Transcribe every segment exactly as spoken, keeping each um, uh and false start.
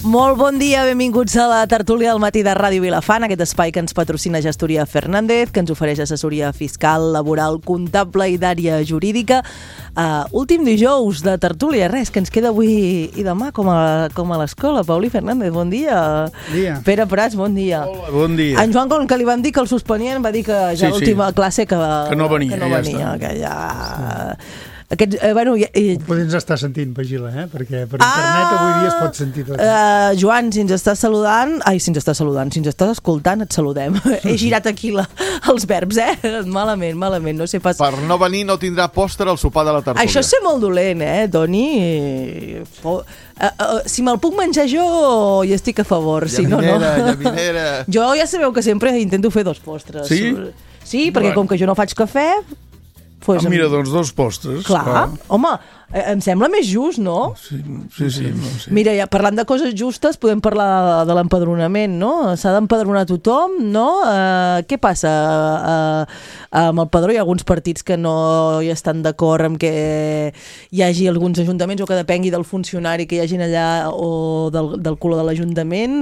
Molt bon dia, benvinguts a la tertúlia del matí de Ràdio Vilafant, aquest espai que ens patrocina Gestoria Fernández, que ens ofereix assessoria fiscal, laboral, comptable i d'àrea jurídica. Uh, últim dijous de tertúlia, res, que ens queda avui i demà com a, com a l'escola. Pauli Fernández, bon dia. dia. Pere Prats, bon dia. Hola, bon dia. En Joan, com que li vam dir que el suspenien, va dir que ja sí, l'última sí. classe que, que no venia, que no ja venia, està. que ja... Sí. Aquest, eh, bueno, eh, Podem estar sentint, Pagila, eh? Perquè per internet ah, avui dia es pot sentir tot. Uh, Joan, si ens estàs saludant... Ai, si ens estàs saludant, si ens estàs escoltant, et saludem. He girat aquí la, els verbs, eh? Malament, malament, no sé pas... Per no venir no tindrà pòster al sopar de la tertúlia. Això és ser molt dolent, eh, Toni? Uh, uh, si me'l puc menjar jo, hi estic a favor, si no, no. Llaminera. Jo ja sabeu que sempre intento fer dos postres. Sí? Sí, perquè Bueno. com que jo no faig cafè... Pues, Ah, mira, doncs dos postres. Clar, clar. home, eh, em sembla més just, no? Sí, sí, sí, no, sí. Mira, ja parlant de coses justes, podem parlar de, de l'empadronament, no? S'ha d'empadronar tothom, no? Uh, què passa? Uh, amb el padró hi ha alguns partits que no hi estan d'acord amb que hi hagi alguns ajuntaments o que depengui del funcionari que hi hagin allà o del, del color de l'Ajuntament.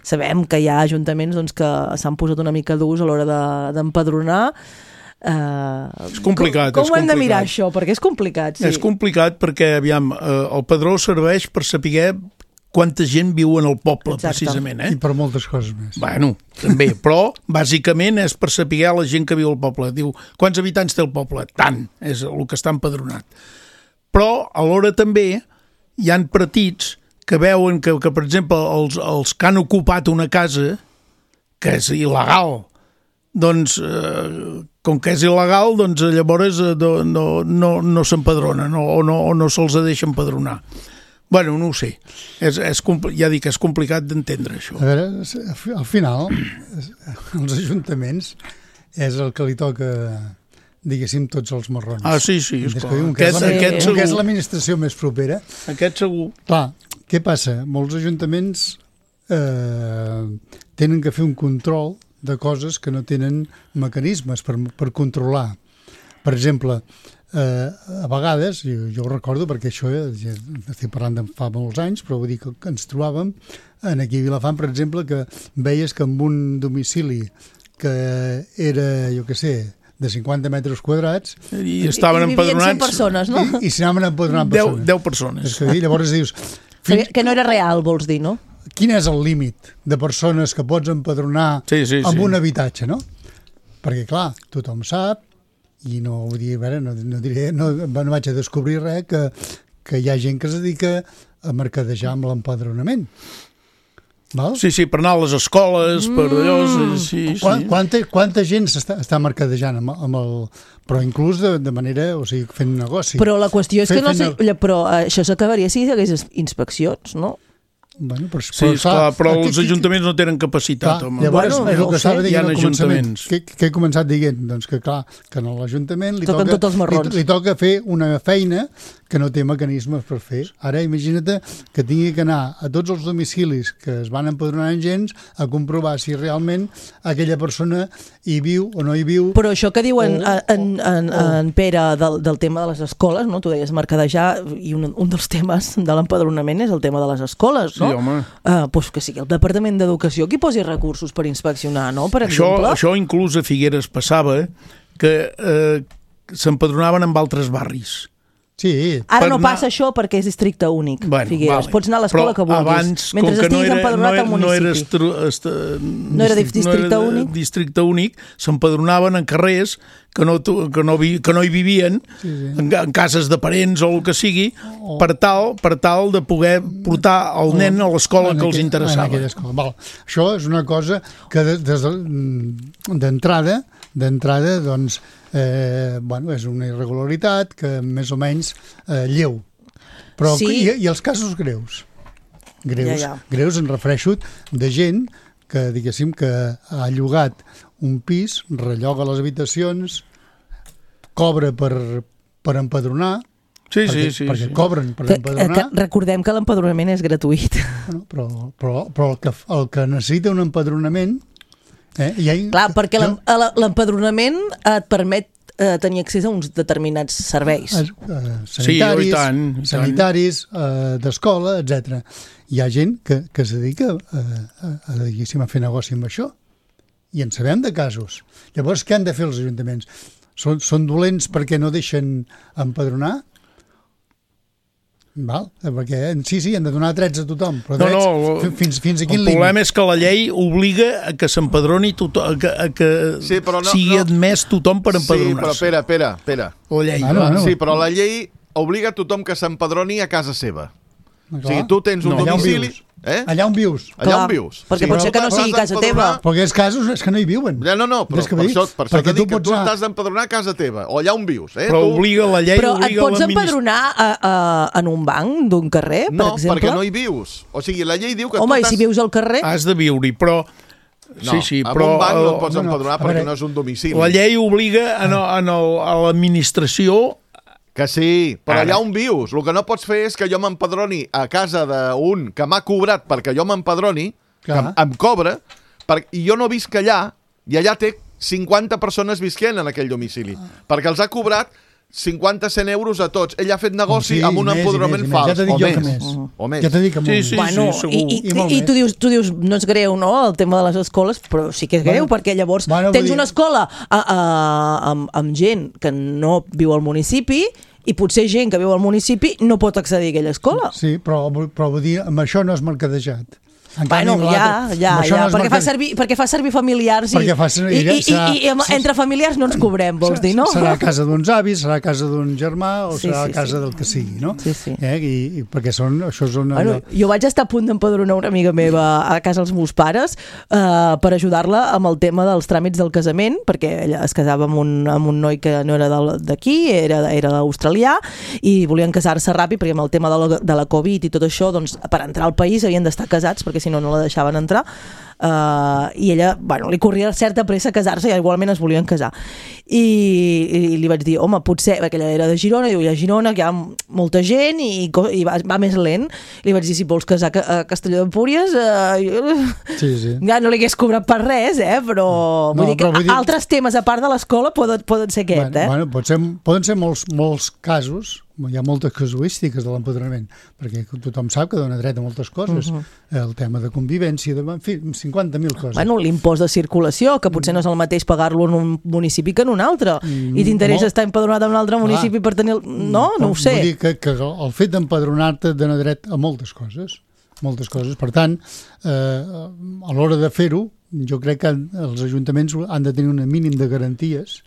Sabem que hi ha ajuntaments doncs, que s'han posat una mica durs a l'hora de, d'empadronar. Uh, És complicat, com, com és ho hem de complicat. mirar això? Perquè és complicat, sí. És complicat perquè, aviam, eh, el padró serveix per saber quanta gent viu en el poble, Exacte. precisament, eh? I per moltes coses més. Bueno, també, però bàsicament és per saber la gent que viu al poble. Diu, quants habitants té el poble? Tant, és el que està empadronat. Però alhora també hi han partits que veuen que, que per exemple, els, els que han ocupat una casa, que és il·legal, doncs, eh, com que és il·legal, doncs llavors eh, no, no, no, no s'empadronen no, o no, o no se'ls deixa empadronar. Bueno, no ho sé. És, és, ja dic que és complicat d'entendre, això. A veure, al final, els ajuntaments és el que li toca, diguéssim, tots els marrons. Ah, sí, sí, esclar. Un que és, Aquest, la, aquest un que és segur. l'administració més propera. Aquest segur. Clar, què passa? Molts ajuntaments eh, tenen que fer un control de coses que no tenen mecanismes per, per controlar. Per exemple, eh, a vegades, jo, jo ho recordo perquè això ja estic parlant de fa molts anys, però vull dir que, que ens trobàvem en aquí a Vilafant, per exemple, que veies que amb un domicili que era, jo què sé, de cinquanta metres quadrats... I estaven I, i empadronats... cent persones, no? I, i s'hi anaven empadronant deu, persones. deu persones. És que, llavors dius... Fins... Que no era real, vols dir, no? Quin és el límit de persones que pots empadronar sí, sí, amb sí. un habitatge, no? Perquè, clar, tothom sap, i no vull dir, a veure, no, no, diré, no, no vaig a descobrir res, que, que hi ha gent que es dedica a mercadejar amb l'empadronament. Val? Sí, sí, per anar a les escoles, mm. per allò... Sí, sí. Quan, quanta, quanta gent s'està està mercadejant amb, amb el... Però inclús de, de manera, o sigui, fent negoci. Però la qüestió és Fe, que no sé... el... Però això s'acabaria si hi hagués inspeccions, no? Bueno, però, Sí, però, esclar, però aquí- els ajuntaments no tenen capacitat, clar, home. llavors, Bueno, és el no que ho estava sé. Hi dient ha al començament. ajuntaments. Què, què he començat dient? Doncs que, clar, que a l'Ajuntament li Toquen toca, tots els marrons. li, li toca fer una feina que no té mecanismes per fer. Ara imagina't que tingui que anar a tots els domicilis que es van empadronar en gens a comprovar si realment aquella persona hi viu o no hi viu. Però això que diuen O- en, en, o- en Pere del, del tema de les escoles, no? Tu deies mercadejar, i un, un dels temes de l'empadronament és el tema de les escoles, no? Sí, home. Uh, doncs que sigui el Departament d'Educació qui posi recursos per inspeccionar, no? Per Això, exemple. això inclús a Figueres passava que eh, s'empadronaven en altres barris. Sí, Ara per no anar- passa això perquè és districte únic, Bueno, Figueres. vale. Pots anar a l'escola que Però vulguis. abans, mentre com que no estiguis era, empadronat no, al no era, municipi. estru, est, No era districte no era únic? districte únic, s'empadronaven en carrers que no, tu- que no, vi, que no hi vivien, Sí, sí. en, en cases de parents o el que sigui, O- per tal, per tal de poder portar el nen a l'escola en que els aquell- interessava. en aquella escola. Val. Això és una cosa que de- des de- d'entrada, d'entrada, doncs, eh, bueno, és una irregularitat que més o menys eh, lleu. Però Sí. i, i els casos greus? Greus, Ja, ja. greus em refereixo de gent que, diguéssim, que ha llogat un pis, relloga les habitacions, cobra per, per empadronar, Sí, perquè, sí, sí. perquè sí. cobren per Que, que, empadronar. que recordem que l'empadronament és gratuït. Bueno, però, però, però el, que, el que necessita un empadronament... Eh, i ha, Clar, perquè l'em- jo, l'empadronament et permet eh, tenir accés a uns determinats serveis. Eh, eh, sanitaris, Sí, oh, i tant, i tant. sanitaris eh, d'escola, etcètera. Hi ha gent que, que es dedica a, a, a, diguéssim, a fer negoci amb això. I en sabem de casos. Llavors, què han de fer els ajuntaments? Són, són dolents perquè no deixen empadronar? Val? Perquè sí, sí, han de donar drets a tothom, però drets no, no, fins, fins a quin el límit? problema és que la llei obliga a que s'empadroni tothom, a que, a que Sí, però no- sigui no. admès tothom per Sí, però empadronar-se. espera, espera, espera. La llei. Bueno, bueno. Sí, però la llei obliga a tothom que s'empadroni a casa seva. Clar. O sigui, tu tens un No. Allà on domicili... vius. Eh? Allà on vius. Allà Clar, on vius. perquè Sí, pot ser que però no sigui t'has casa d'empadronar- teva. Perquè els casos és que no hi viuen. Ja, no, no, però És que per vull dir, això, per això perquè t'he dit tu que pots tu anar- t'has d'empadronar a casa teva, o allà on vius, eh? Però tu... obliga la llei, Però et obliga pots l'administració. empadronar a, a, en un banc d'un carrer, per No, exemple? perquè no hi vius. O sigui, la llei diu que Home, tu i si vius al carrer? Has de viure-hi, però... No, sí, sí, amb però un banc no et pots no, no, empadronar a perquè veure, no és un domicili. la llei obliga a, no, a, no, a l'administració. Que sí, però Ara. allà on vius. El que no pots fer és que jo m'empadroni a casa d'un que m'ha cobrat perquè jo m'empadroni, que Clar. em, em cobra, per, i jo no visc allà, i allà té cinquanta persones visquent en aquell domicili, perquè els ha cobrat cinquanta cent euros a tots. Ell ha fet negoci Sí, amb un més i empadronament més i més. fals. Ja t'he dit o, jo més. que més. o més. Ja t'he dit que molt Sí, més. sí. Bueno, segur. i, i, I molt i, i més. tu, dius, tu dius, no és greu, no?, el tema de les escoles, però sí que és greu, Bueno, perquè llavors bueno, tens vull dir- una escola a, a, amb, amb gent que no viu al municipi i potser gent que viu al municipi no pot accedir a aquella escola. Sí, però, però vull dir, amb això no és mercadejat. En Bueno, canvi, amb ja, l'altre- ja, amb això ja, no és perquè fa, mercade- servir, perquè fa servir familiars i, Perquè fa servir- i, i, serà- i, i, i entre familiars no ens cobrem, vols dir, no? Serà a casa d'uns avis, serà a casa d'un germà o Sí, serà sí, a casa sí. del que sigui, no? Sí, sí. Eh? I, i perquè són, això és una... Bueno, jo vaig estar a punt d'empadronar una amiga meva a casa dels meus pares eh, per ajudar-la amb el tema dels tràmits del casament, perquè ella es casava amb un, amb un noi que no era del- d'aquí, era, era australià, i volien casar-se ràpid perquè amb el tema de la, de la Covid i tot això, doncs, per entrar al país havien d'estar casats perquè si no no la deixaven entrar. Uh, i ella, bueno, li corria certa pressa a casar-se i igualment es volien casar i, i li vaig dir, home, potser perquè ella era de Girona, diu, i a Girona que hi ha molta gent i, i va, va més lent, li vaig dir, si vols casar a Castelló d'Empúries uh, Sí, sí. ja no li hagués cobrat per res, eh? però, No, vull dir que però vull dir- altres temes a part de l'escola poden, poden ser aquest, bueno, eh? bueno, pot ser, poden ser molts, molts casos, hi ha moltes casuístiques de l'empadronament, perquè tothom sap que dona dret a moltes coses, uh -huh. el tema de convivència, de, en fi, cinquanta mil coses. Bueno, l'impost de circulació, que potser no és el mateix pagar-lo en un municipi que en un altre, Mm, i t'interessa molt. estar empadronat en un altre municipi per tenir... el- No, no ho Vull sé. dir que, que el fet d'empadronar-te et dona dret a moltes coses, moltes coses. Per tant, eh, a l'hora de fer-ho, jo crec que els ajuntaments han de tenir un mínim de garanties,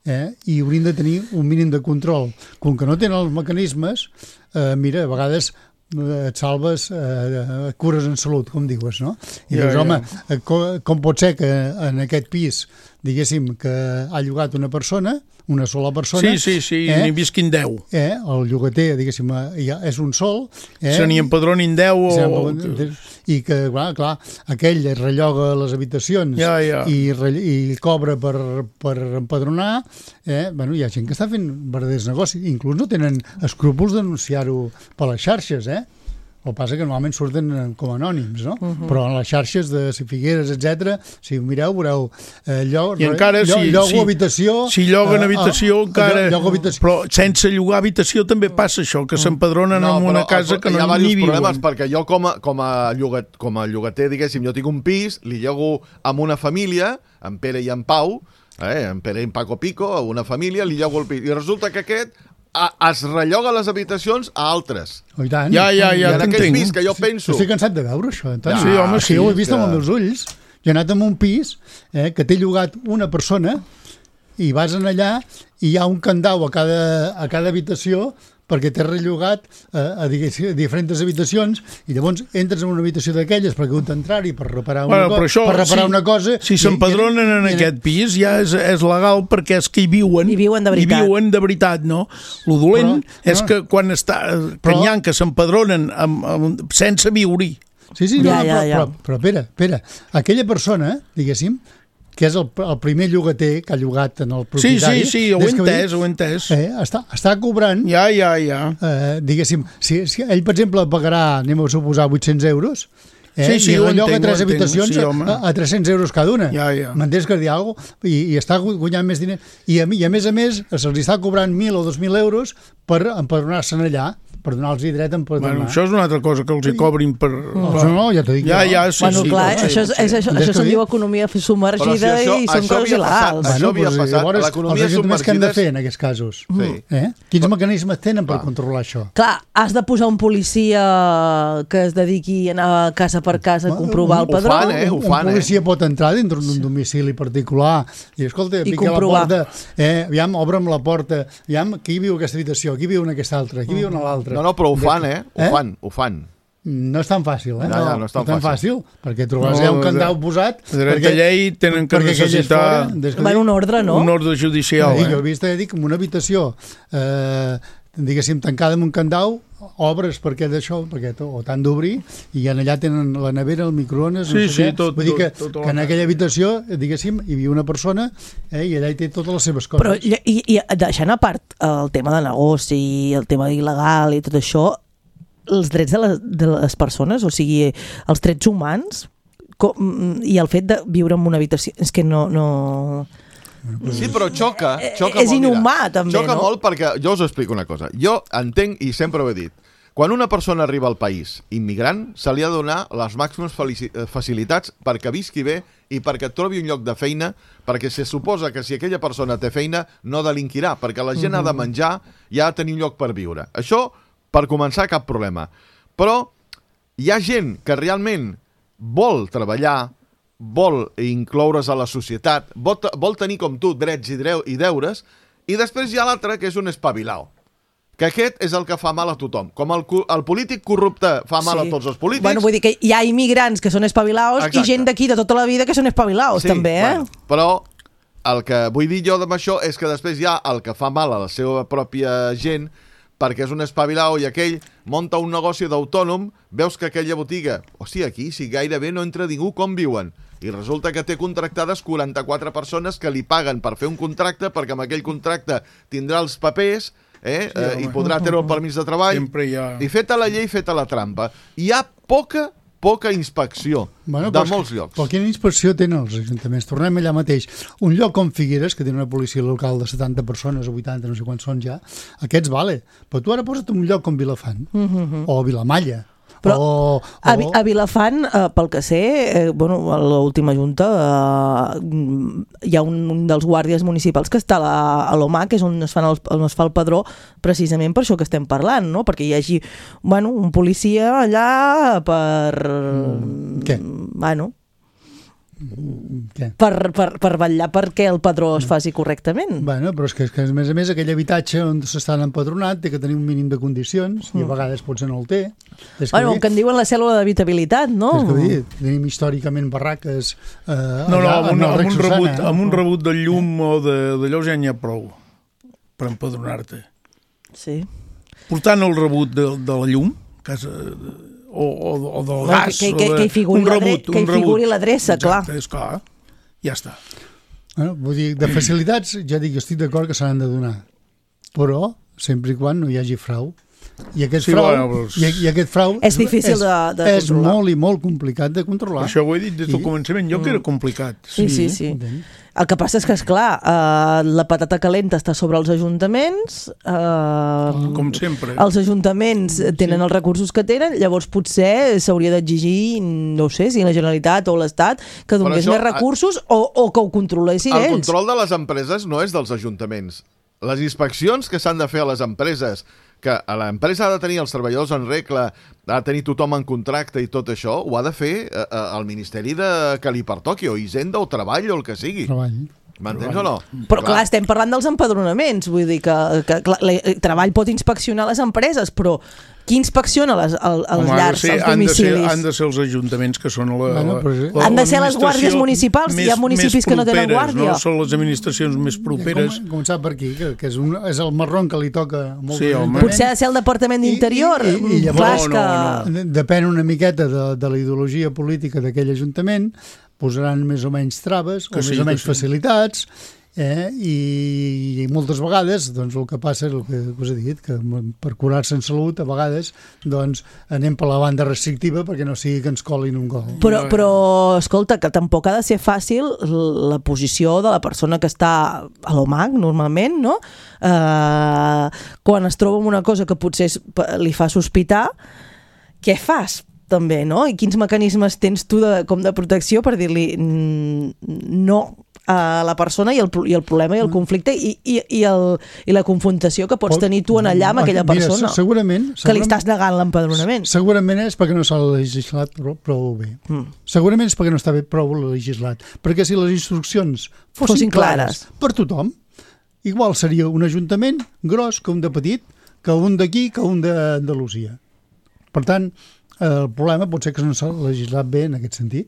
eh, i haurien de tenir un mínim de control. Com que no tenen els mecanismes, eh, mira, a vegades eh, et salves, eh, et cures en salut, com dius, no? I Ja, dius, ja. home, eh, com, com pot ser que en aquest pis, diguéssim, que ha llogat una persona, una sola persona... Sí, sí, sí, eh? n'hi visquin deu. Eh, el llogater, diguéssim, eh, ja és un sol... Eh, Se n'hi empadronin deu o... i que, clar, clar, aquell relloga les habitacions Ja, ja. I, re- i cobra per, per empadronar, eh? Bueno, hi ha gent que està fent verdaders negocis, inclús no tenen escrúpols d'anunciar-ho per les xarxes, eh? El que passa que normalment surten com a anònims, no? Uh -huh. Però en les xarxes de Figueres, etcètera, si ho mireu, veureu eh, lloc, I encara, lloc, si, llogo si, habitació... si lloguen eh, habitació, eh, encara... llogo habitació. Però sense llogar habitació també passa això, que s'empadronen No, en una però, casa que hi ha no diversos ni problemes, viuen. perquè jo com a, com, a llogat, com a llogater, diguéssim, jo tinc un pis, li llogo amb una família, en Pere i en Pau, eh, en Pere i en Paco Pico, a una família, li llogo el pis. I resulta que aquest a, es relloga les habitacions a altres. Oh, i tant. Ja, ja, I ja en aquell t'entenc. pis que jo penso... Estic cansat de veure això, Antoni. Sí, home, sí, Jo ho he vist que- amb els meus ulls. Jo he anat a un pis eh, que té llogat una persona i vas en allà i hi ha un candau a cada, a cada habitació perquè t'has rellogat eh, a, diguéssim, a diferents habitacions i llavors entres en una habitació d'aquelles perquè heu d'entrar-hi per reparar una, Bueno, co però això, per reparar si, una cosa... Si i- s'empadronen en i- i- aquest pis ja és, és legal perquè és que hi viuen. Hi viuen de veritat. Hi viuen de veritat, no? Lo dolent Però- és no. que quan està... que Però- n'hi ha que s'empadronen amb, amb, sense viure-hi. Sí, sí, Ja, no, ja, però, ja. Però, però espera, espera. Aquella persona, diguéssim, que és el, el primer llogater que ha llogat en el Sí, propietari... sí, sí, ho he des que va dir, entès, ho he entès. Eh, està, està cobrant... Ja, ja, ja. Eh, diguéssim, si, si ell, per exemple, pagarà, anem a suposar, vuit-cents euros, Eh? Sí, sí, I ho relloga entenc, tres ho entenc, habitacions sí, home. a, a tres-cents euros cada una. Ja, ja. M'entens que dir alguna cosa? I, I està guanyant més diners. I a, I a més a més se'ls està cobrant mil o dos mil euros per empadronar-se'n allà, per donar-los dret a empadronar. Bueno, això és una altra cosa, que els hi cobrin per... No, no, no, ja t'ho dic. Ja, jo. ja, sí, bueno, sí. clar, sí, això, és, sí. és, això, Entens això què se'n dic? diu economia submergida Però si això- i són això coses havia passat, il·legals. això havia doncs, passat. Llavors, L'economia els ajuntaments què han de submergida és- fer en aquests casos? Sí. Eh? Quins mecanismes tenen per controlar això? Clar, has de posar un policia que es dediqui a anar casa per casa a comprovar el ho padró. fan, eh? Ho un fan, eh? policia pot entrar dintre d'un domicili particular i, escolta, I pica la comprovar. porta, eh, aviam, obre'm la porta, aviam, qui viu en aquesta habitació, qui viu en aquesta altra, qui viu en l'altra. No, no, però ho fan, eh? Ho Eh? fan, ho fan. No és tan fàcil, eh? Ja, ja, no és tan fàcil, perquè trobaràs No, ja un candau de- posat... de dret a llei tenen que perquè aquell és necessitar fora, des que Van dic- un ordre, no? un ordre judicial. Ja dic, jo he Eh? vist, ja dic, en una habitació eh, diguéssim, tancada amb un candau, obres perquè d'això, perquè to- o t'han d'obrir, i en allà tenen la nevera, el microones, Sí, no sé sí, què. tot- Vull dir que, tot- tot que en la- aquella habitació, diguéssim, hi havia una persona eh, i allà hi té totes les seves coses. Però i, i deixant a part el tema de negoci, el tema il·legal i tot això, els drets de les, de les persones, o sigui, els drets humans com, i el fet de viure en una habitació, és que no... no... Sí, però xoca, Eh, xoca és molt. mira. inhumà, també, Xoca no? molt perquè, jo us explico una cosa. Jo entenc, i sempre ho he dit, quan una persona arriba al país immigrant, se li ha de donar les màximes felici- eh, facilitats perquè visqui bé i perquè trobi un lloc de feina, perquè se suposa que si aquella persona té feina no delinquirà, perquè la gent ha de menjar i ha de tenir un lloc per viure. Això, per començar, cap problema. Però hi ha gent que realment vol treballar, vol incloure's a la societat, vol, vol tenir com tu drets i, dreu, i deures, i després hi ha l'altre que és un espavilao. Que aquest és el que fa mal a tothom. Com el, cu- el polític corrupte fa mal Sí. a tots els polítics... Bueno, vull dir que hi ha immigrants que són espavilaos Exacte. i gent d'aquí de tota la vida que són espavilaos, també, eh? Bueno, però el que vull dir jo amb això és que després hi ha el que fa mal a la seva pròpia gent perquè és un espavilao i aquell monta un negoci d'autònom, veus que aquella botiga, hòstia, aquí si gairebé no entra ningú, com viuen? I resulta que té contractades quaranta-quatre persones que li paguen per fer un contracte perquè amb aquell contracte tindrà els papers eh, Sí, eh, i home. podrà treure el permís de treball. Sempre hi ha- I feta la llei, feta la trampa. Hi ha poca, poca inspecció Bueno, de però és que- molts llocs. Però quina inspecció tenen els ajuntaments? Tornem allà mateix. Un lloc com Figueres, que té una policia local de setanta persones o vuitanta, no sé quants són ja, aquests vale. Però tu ara posa't un lloc com Vilafant, Mm-hmm. o Vilamalla, Però o... A, o... Vi- a Vilafant, eh, pel que sé, eh, bueno, a l'última junta eh, hi ha un, un dels guàrdies municipals que està a la- a l'O M A, que és on es, fan el, on es fa el padró, precisament per això que estem parlant, no? Perquè hi hagi bueno, un policia allà per... Què? Bueno, Què? per, per, per vetllar perquè el padró es faci correctament. Bueno, però és que, és que a més a més aquell habitatge on s'estan empadronat té que tenir un mínim de condicions i a vegades potser no el té. És que Bueno, vull el que en diuen la cèl·lula d'habitabilitat, no? És que vull dir, tenim històricament barraques eh, No, no, allà, amb un, en el amb Rec un, Susana, rebut, eh? amb un rebut de llum o de- d'allò ja n'hi ha prou per empadronar-te. Sí. Portant el rebut de, de la llum, casa, o, o, o del No, gas, que- o que- de, que hi figuri un l'adre- rebut, que hi un rebut. figuri l'adreça, clar. Exacte, és clar, ja està. Bueno, vull dir, de facilitats, ja dic, estic d'acord que s'han de donar, però sempre i quan no hi hagi frau. I aquest, Sí, frau, bueno, doncs- i, i aquest frau És difícil és, de- de és controlar. molt i molt complicat de controlar. Això ho he dit des del I- començament, jo que era complicat. Sí, sí, sí. entenc. El que passa és que, esclar, eh, la patata calenta està sobre els ajuntaments, eh, Com sempre. els ajuntaments tenen els recursos que tenen, llavors potser s'hauria d'exigir, no sé, si la Generalitat o l'Estat, que donés això, més recursos o, o que ho controlessin El ells. control de les empreses no és dels ajuntaments. Les inspeccions que s'han de fer a les empreses, que a l'empresa ha de tenir els treballadors en regla, ha de tenir tothom en contracte i tot això, ho ha de fer eh, eh, el Ministeri de que li pertoqui, o Hisenda, o Treball, o el que sigui. Treball. M'entens o no? Però clar, estem parlant dels empadronaments, vull dir que, que clar, el treball pot inspeccionar les empreses, però qui inspecciona les, el, els Home, ha de llars, ser- els han de ser- domicilis? Han de ser els ajuntaments que són la, Bueno, la, però sí. la- Han de ser les l'administració guàrdies municipals, hi ha més- municipis més que no tenen properes, guàrdia. No? Són les administracions més properes. Com, començar per aquí, que, que és, un, és el marrón que li toca a molts Sí, home. ajuntaments. Potser ha de ser el Departament I- d'Interior. i- i- i llavors- Clar, és No, que... no, Depèn una miqueta de, de la ideologia política d'aquell ajuntament, posaran més o menys traves Que o sí, més o que menys sí. facilitats Eh? I, I moltes vegades doncs, el que passa és el que us he dit, que per curar-se en salut a vegades doncs, anem per la banda restrictiva perquè no sigui que ens colin un gol. Però, però escolta, que tampoc ha de ser fàcil la posició de la persona que està a l'O M A C normalment, no? Eh, quan es troba amb una cosa que potser li fa sospitar, què fas? També, no? I quins mecanismes tens tu de, com de protecció per dir-li no a la persona i el, i el problema i el conflicte i, i, i, el, i la confrontació que pots tenir tu en allà amb aquella persona. Mira, segurament, segurament, que li estàs negant l'empadronament. Segurament és perquè no s'ha legislat prou, prou bé. Mm. Segurament és perquè no està bé prou legislat. Perquè si les instruccions fossin, fossin clares, clares per tothom, igual seria un ajuntament gros que un de petit, que un d'aquí, que un d'Andalusia. Per tant, el problema pot ser que no s'ha legislat bé en aquest sentit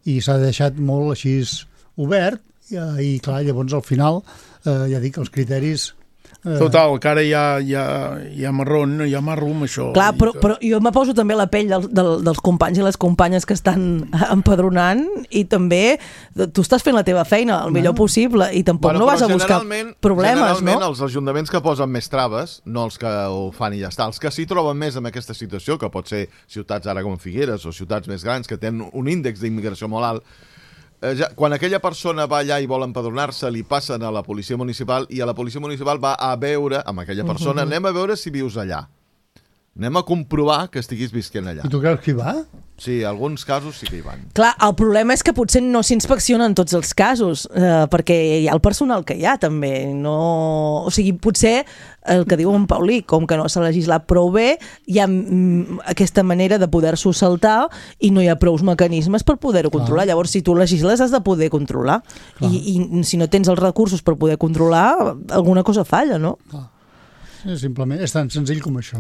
i s'ha deixat molt així obert i, i clar, llavors al final eh, ja dic, els criteris eh... Total, que ara hi ha, hi ha, hi ha marron, hi ha marro amb això. Clar, però, però jo me poso també la pell del, del, dels companys i les companyes que estan empadronant i també tu estàs fent la teva feina el millor no. possible i tampoc bueno, no vas a buscar problemes, generalment, no? Els ajuntaments que posen més traves, no els que ho fan i ja està, els que s'hi troben més en aquesta situació, que pot ser ciutats ara com Figueres o ciutats més grans que tenen un índex d'immigració molt alt, Eh, ja, quan aquella persona va allà i vol empadronar-se, li passen a la policia municipal i a la policia municipal va a veure amb aquella persona, uh-huh. anem a veure si vius allà. Anem a comprovar que estiguis visquent allà. I tu creus que hi va? Sí, alguns casos sí que hi van. Clar, el problema és que potser no s'inspecciona en tots els casos, eh, perquè hi ha el personal que hi ha també. No... O sigui, potser el que diu en Paulí, com que no s'ha legislat prou bé, hi ha mm, aquesta manera de poder-s'ho saltar i no hi ha prous mecanismes per poder-ho controlar. Clar. Llavors, si tu legisles, has de poder controlar. I, I si no tens els recursos per poder controlar, alguna cosa falla, no? Clar. Sí, simplement, és tan senzill com això.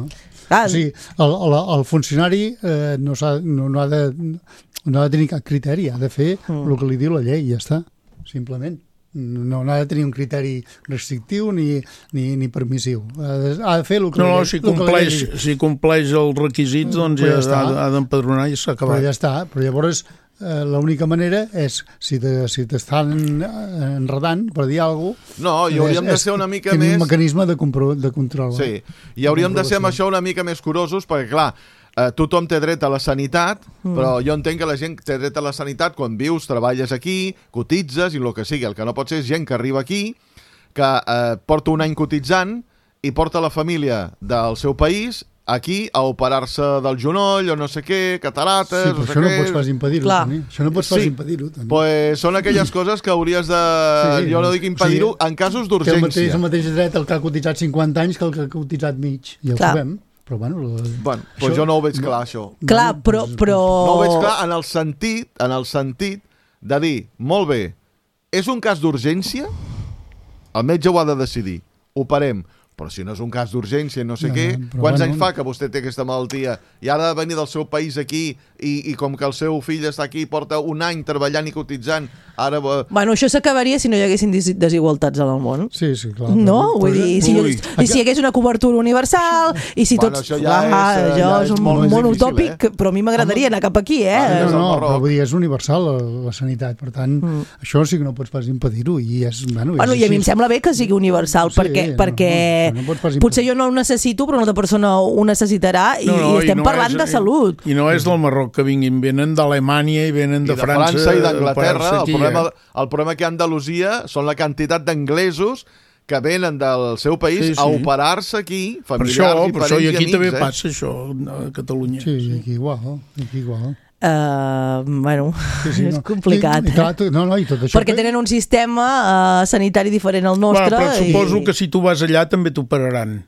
Ah, o sigui, el, el, el funcionari eh, no, ha, no, no, ha de, no ha de tenir cap criteri, ha de fer mm. el que li diu la llei, ja està, simplement. No, no ha de tenir un criteri restrictiu ni, ni, ni permissiu. Ha de, ha de fer el que no, la llei... No, si compleix, si compleix els requisits, doncs ja, ja ha, ha d'empadronar i s'ha acabat. Però ja està, però llavors... Eh, l'única manera és, si t'estan si enredant per dir alguna cosa... No, i hauríem és, de ser una mica més... un mecanisme de, compro, de control. Sí, i hauríem de ser amb això una mica més curosos, perquè, clar, eh, tothom té dret a la sanitat, mm. però jo entenc que la gent té dret a la sanitat quan vius, treballes aquí, cotitzes i el que sigui. El que no pot ser és gent que arriba aquí, que eh, porta un any cotitzant i porta la família del seu país aquí a operar-se del genoll o no sé què, catarates... Sí, però no sé això què. no pots pas impedir-ho, Toni. Això no pots pas sí. impedir-ho, Toni. Pues són aquelles coses que hauries de... Sí, sí, jo no dic impedir-ho, o sigui, en casos d'urgència. Té el mateix, el mateix dret el que ha cotitzat cinquanta anys que el que ha cotitzat mig. I el Clar. sabem. Però bueno... Lo... bueno pues això... jo no ho veig clar, això. Clar, però, però... No ho veig clar en el sentit, en el sentit de dir, molt bé, és un cas d'urgència? El metge ho ha de decidir. Operem. Però si no és un cas d'urgència, no sé no, què, quants bueno, anys fa que vostè té aquesta malaltia i ara ha de venir del seu país aquí i, i com que el seu fill està aquí porta un any treballant i cotitzant, ara... Bueno, això s'acabaria si no hi haguessin desigualtats en el món. Sí, sí, clar. No? Però, vull dir, si, i si hi hagués una cobertura universal i si bueno, tots... Això ja ah, és, ja és, és un molt món difícil, utòpic, eh? Però a mi m'agradaria anar cap aquí, eh? Ah, no, no, però vull dir, és universal la, la sanitat, per tant, mm. això sí que no pots pas impedir-ho i és... Bueno, bueno és i a mi em sembla bé que sigui universal, sí, perquè, no, perquè no, no, no potser jo no ho necessito, però una altra persona ho necessitarà i, no, no, i estem i no parlant és, de salut. I no és del Marroc que vinguin, venen d'Alemanya i venen de, I de França, França i d'Anglaterra. El, aquí, problema, eh? el problema que hi ha a Andalusia són la quantitat d'anglesos que venen del seu país sí, sí. a operar-se aquí, familiars per això, i per parents això, i i aquí amics. també eh? passa això a Catalunya. Sí, aquí igual, aquí igual. Uh, bueno, sí, sí, és no. complicat. I, i clar, tu, no, no, i tot això perquè que... tenen un sistema uh, sanitari diferent al nostre. Bueno, però suposo i... que si tu vas allà també t'operaran.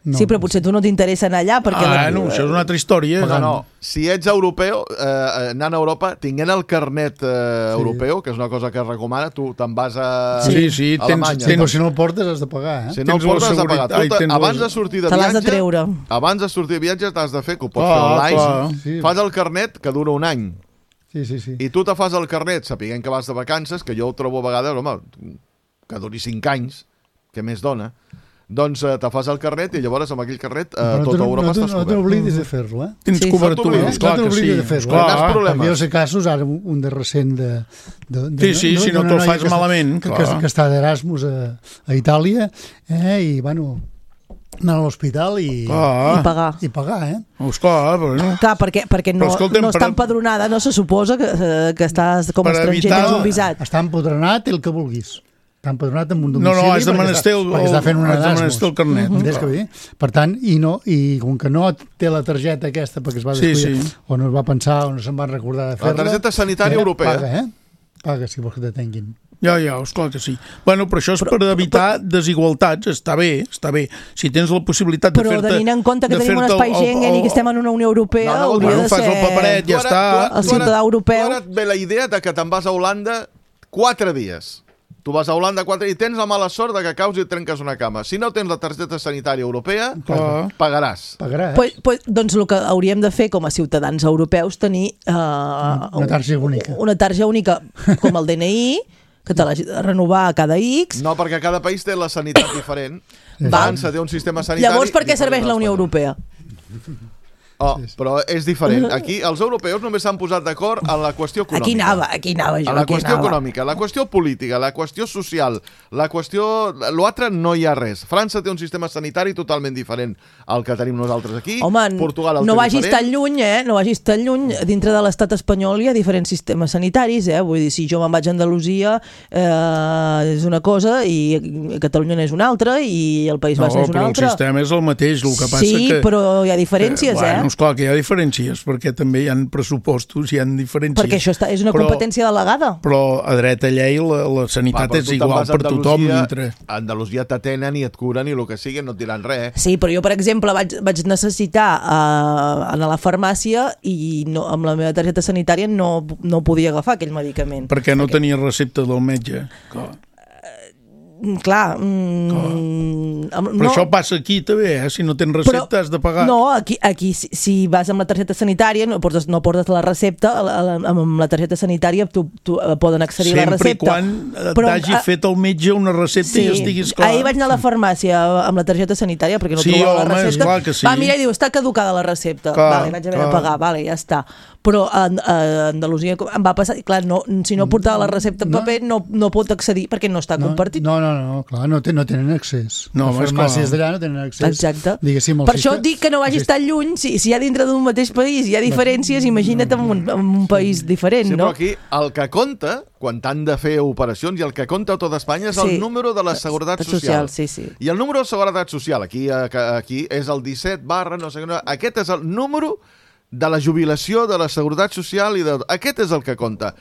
No. Sí, però potser tu no t'interessa anar allà perquè... Ah, la... no, això és una altra història. Però no, si ets europeu, eh, anant a Europa, tinguent el carnet eh, sí. europeu, que és una cosa que es recomana, tu te'n vas a sí, sí, a Alemanya. Tens, tens, si no el portes has de pagar, eh? Si no el portes has de pagar. Tu, Ai, abans de sortir de viatge... Te l'has de treure. Abans de sortir de viatge t'has de fer, que ho pots ah, fer online. Sí. Fas el carnet, que dura un any. Sí, sí, sí. I tu te fas el carnet, sapiguent que vas de vacances, que jo ho trobo a vegades, home, que duri cinc anys, què més dona, doncs eh, te fas el carnet i llavors amb aquell carnet eh, Però tota no, Europa no, estàs no cobert. t'oblidis de fer-lo, eh? Tens Sí, cobertura, sí. esclar No que sí. t'oblidis de fer-lo. Esclar. Tindràs problemes. Perquè jo sé casos, ara un de recent de... de, de Sí, sí, si no d'una te'l noia fas que està- malament, que, clar. que, que està d'Erasmus a, a Itàlia, eh? I, bueno, anar a l'hospital i, Ah, I pagar. i pagar, eh? esclar, però no. Clar, perquè, perquè no, Però escolta'm, no està per- empadronada, no se suposa que, eh, que estàs com a Per estranger, evitar- tens un visat. Està empadronat i el que vulguis. Està empadronat amb un No, domicili no, has de perquè menester està- el, perquè està fent un has de Erasmus. menester el carnet. Entens què vull dir? Per tant, i, no, i com que no té la targeta aquesta perquè es va Sí, descuidar, sí. o no es va pensar o no se'n va recordar de fer-la... targeta sanitària eh, europea. Paga, eh? Paga si vols que t'atenguin. Ja, ja, esclar que sí. Bueno, però això és per evitar desigualtats, està bé, està bé. Si tens la possibilitat de Però fer-te... tenint en compte que de tenim un fer-te espai el- el- Schengen i que estem en una Unió Europea, No, no, hauria bueno, de fas ser... el paperet, ja Tu ara- està. tu ara- El tu ara- ciutadà europeu. Tu ara et ve la idea de que te'n vas a Holanda quatre dies. Tu vas a Holanda quatre i tens la mala sort de que caus i et trenques una cama. Si no tens la targeta sanitària europea, Clar. pagaràs. Pagarà, eh? Pues, pues, doncs el que hauríem de fer com a ciutadans europeus tenir eh, Una targeta única. una targeta única com el D N I que te l'has de renovar a cada X. No, perquè cada país té la sanitat diferent. Val. França té un sistema sanitari... Llavors per què diferent serveix la del Unió espanyol. Europea? Oh, però és diferent. Aquí els europeus només s'han posat d'acord en la qüestió econòmica. Aquí anava, aquí anava jo. A la aquí qüestió anava. econòmica, la qüestió política, la qüestió social, la qüestió... L'altre no hi ha res. França té un sistema sanitari totalment diferent al que tenim nosaltres aquí. Home, Portugal el no té vagis diferent. tan lluny, eh? No vagis tan lluny. Dintre de l'estat espanyol hi ha diferents sistemes sanitaris, eh? Vull dir, si jo me'n vaig a Andalusia eh, és una cosa i Catalunya n'és una altra i el País No, Basc n'és una però el altra. sistema és el mateix, el que passa Sí, que... però hi ha diferències, eh? Bueno, eh? esclar que hi ha diferències, perquè també hi ha pressupostos, hi ha diferències. Perquè això està, és una Però- competència delegada. Però a dreta llei la, la sanitat Va, però és tu te'n igual vas a per tothom. Andalusia, Mentre... A Andalusia t'atenen i et curen i el que sigui no et diran res. Eh? Sí, però jo, per exemple, vaig, vaig necessitar uh, anar a la farmàcia i no, amb la meva targeta sanitària no, no podia agafar aquell medicament. Perquè no tenia recepta del metge. Clar. Clar, mm, amb- Però no, això passa aquí també, eh? Si no tens recepta has de pagar. No, aquí, aquí si, si vas amb la targeta sanitària no portes, no portes la recepta, la- la- amb la targeta sanitària tu, tu, eh, poden accedir a la Sempre i recepta. quan Però, t'hagi ah, fet el metge una recepta Sí, i estiguis clar. ahir vaig anar a la farmàcia amb la targeta sanitària perquè no Sí, trobava home, la recepta. esclar que sí. Va, mira, i diu, està caducada la recepta. Clar, vale, vaig haver clar. de pagar, vale, ja està. Però a, a Andalusia em va passar, i clar, no, si no portava la recepta en No. paper no, no pot accedir perquè no està No, compartit. no, no, no, clar, no, té, no tenen accés. No, Les home, farmàcies esclar. d'allà no tenen accés. Exacte. Diguéssim, el Per això sistema- dic que no vagis tan lluny. Si, si hi ha dintre d'un mateix país hi ha diferències, imagina't en un, en un país diferent, Sí, no? però aquí el que compta, quan t'han de fer operacions, i el que compta a tot Espanya és Sí. el número de la Seguretat Social. Sí, sí. I el número de Seguretat Social, aquí, a- aquí és el disset barra, no sé què, no, aquest és el número de la jubilació, de la Seguretat Social, i de... aquest és el que compta.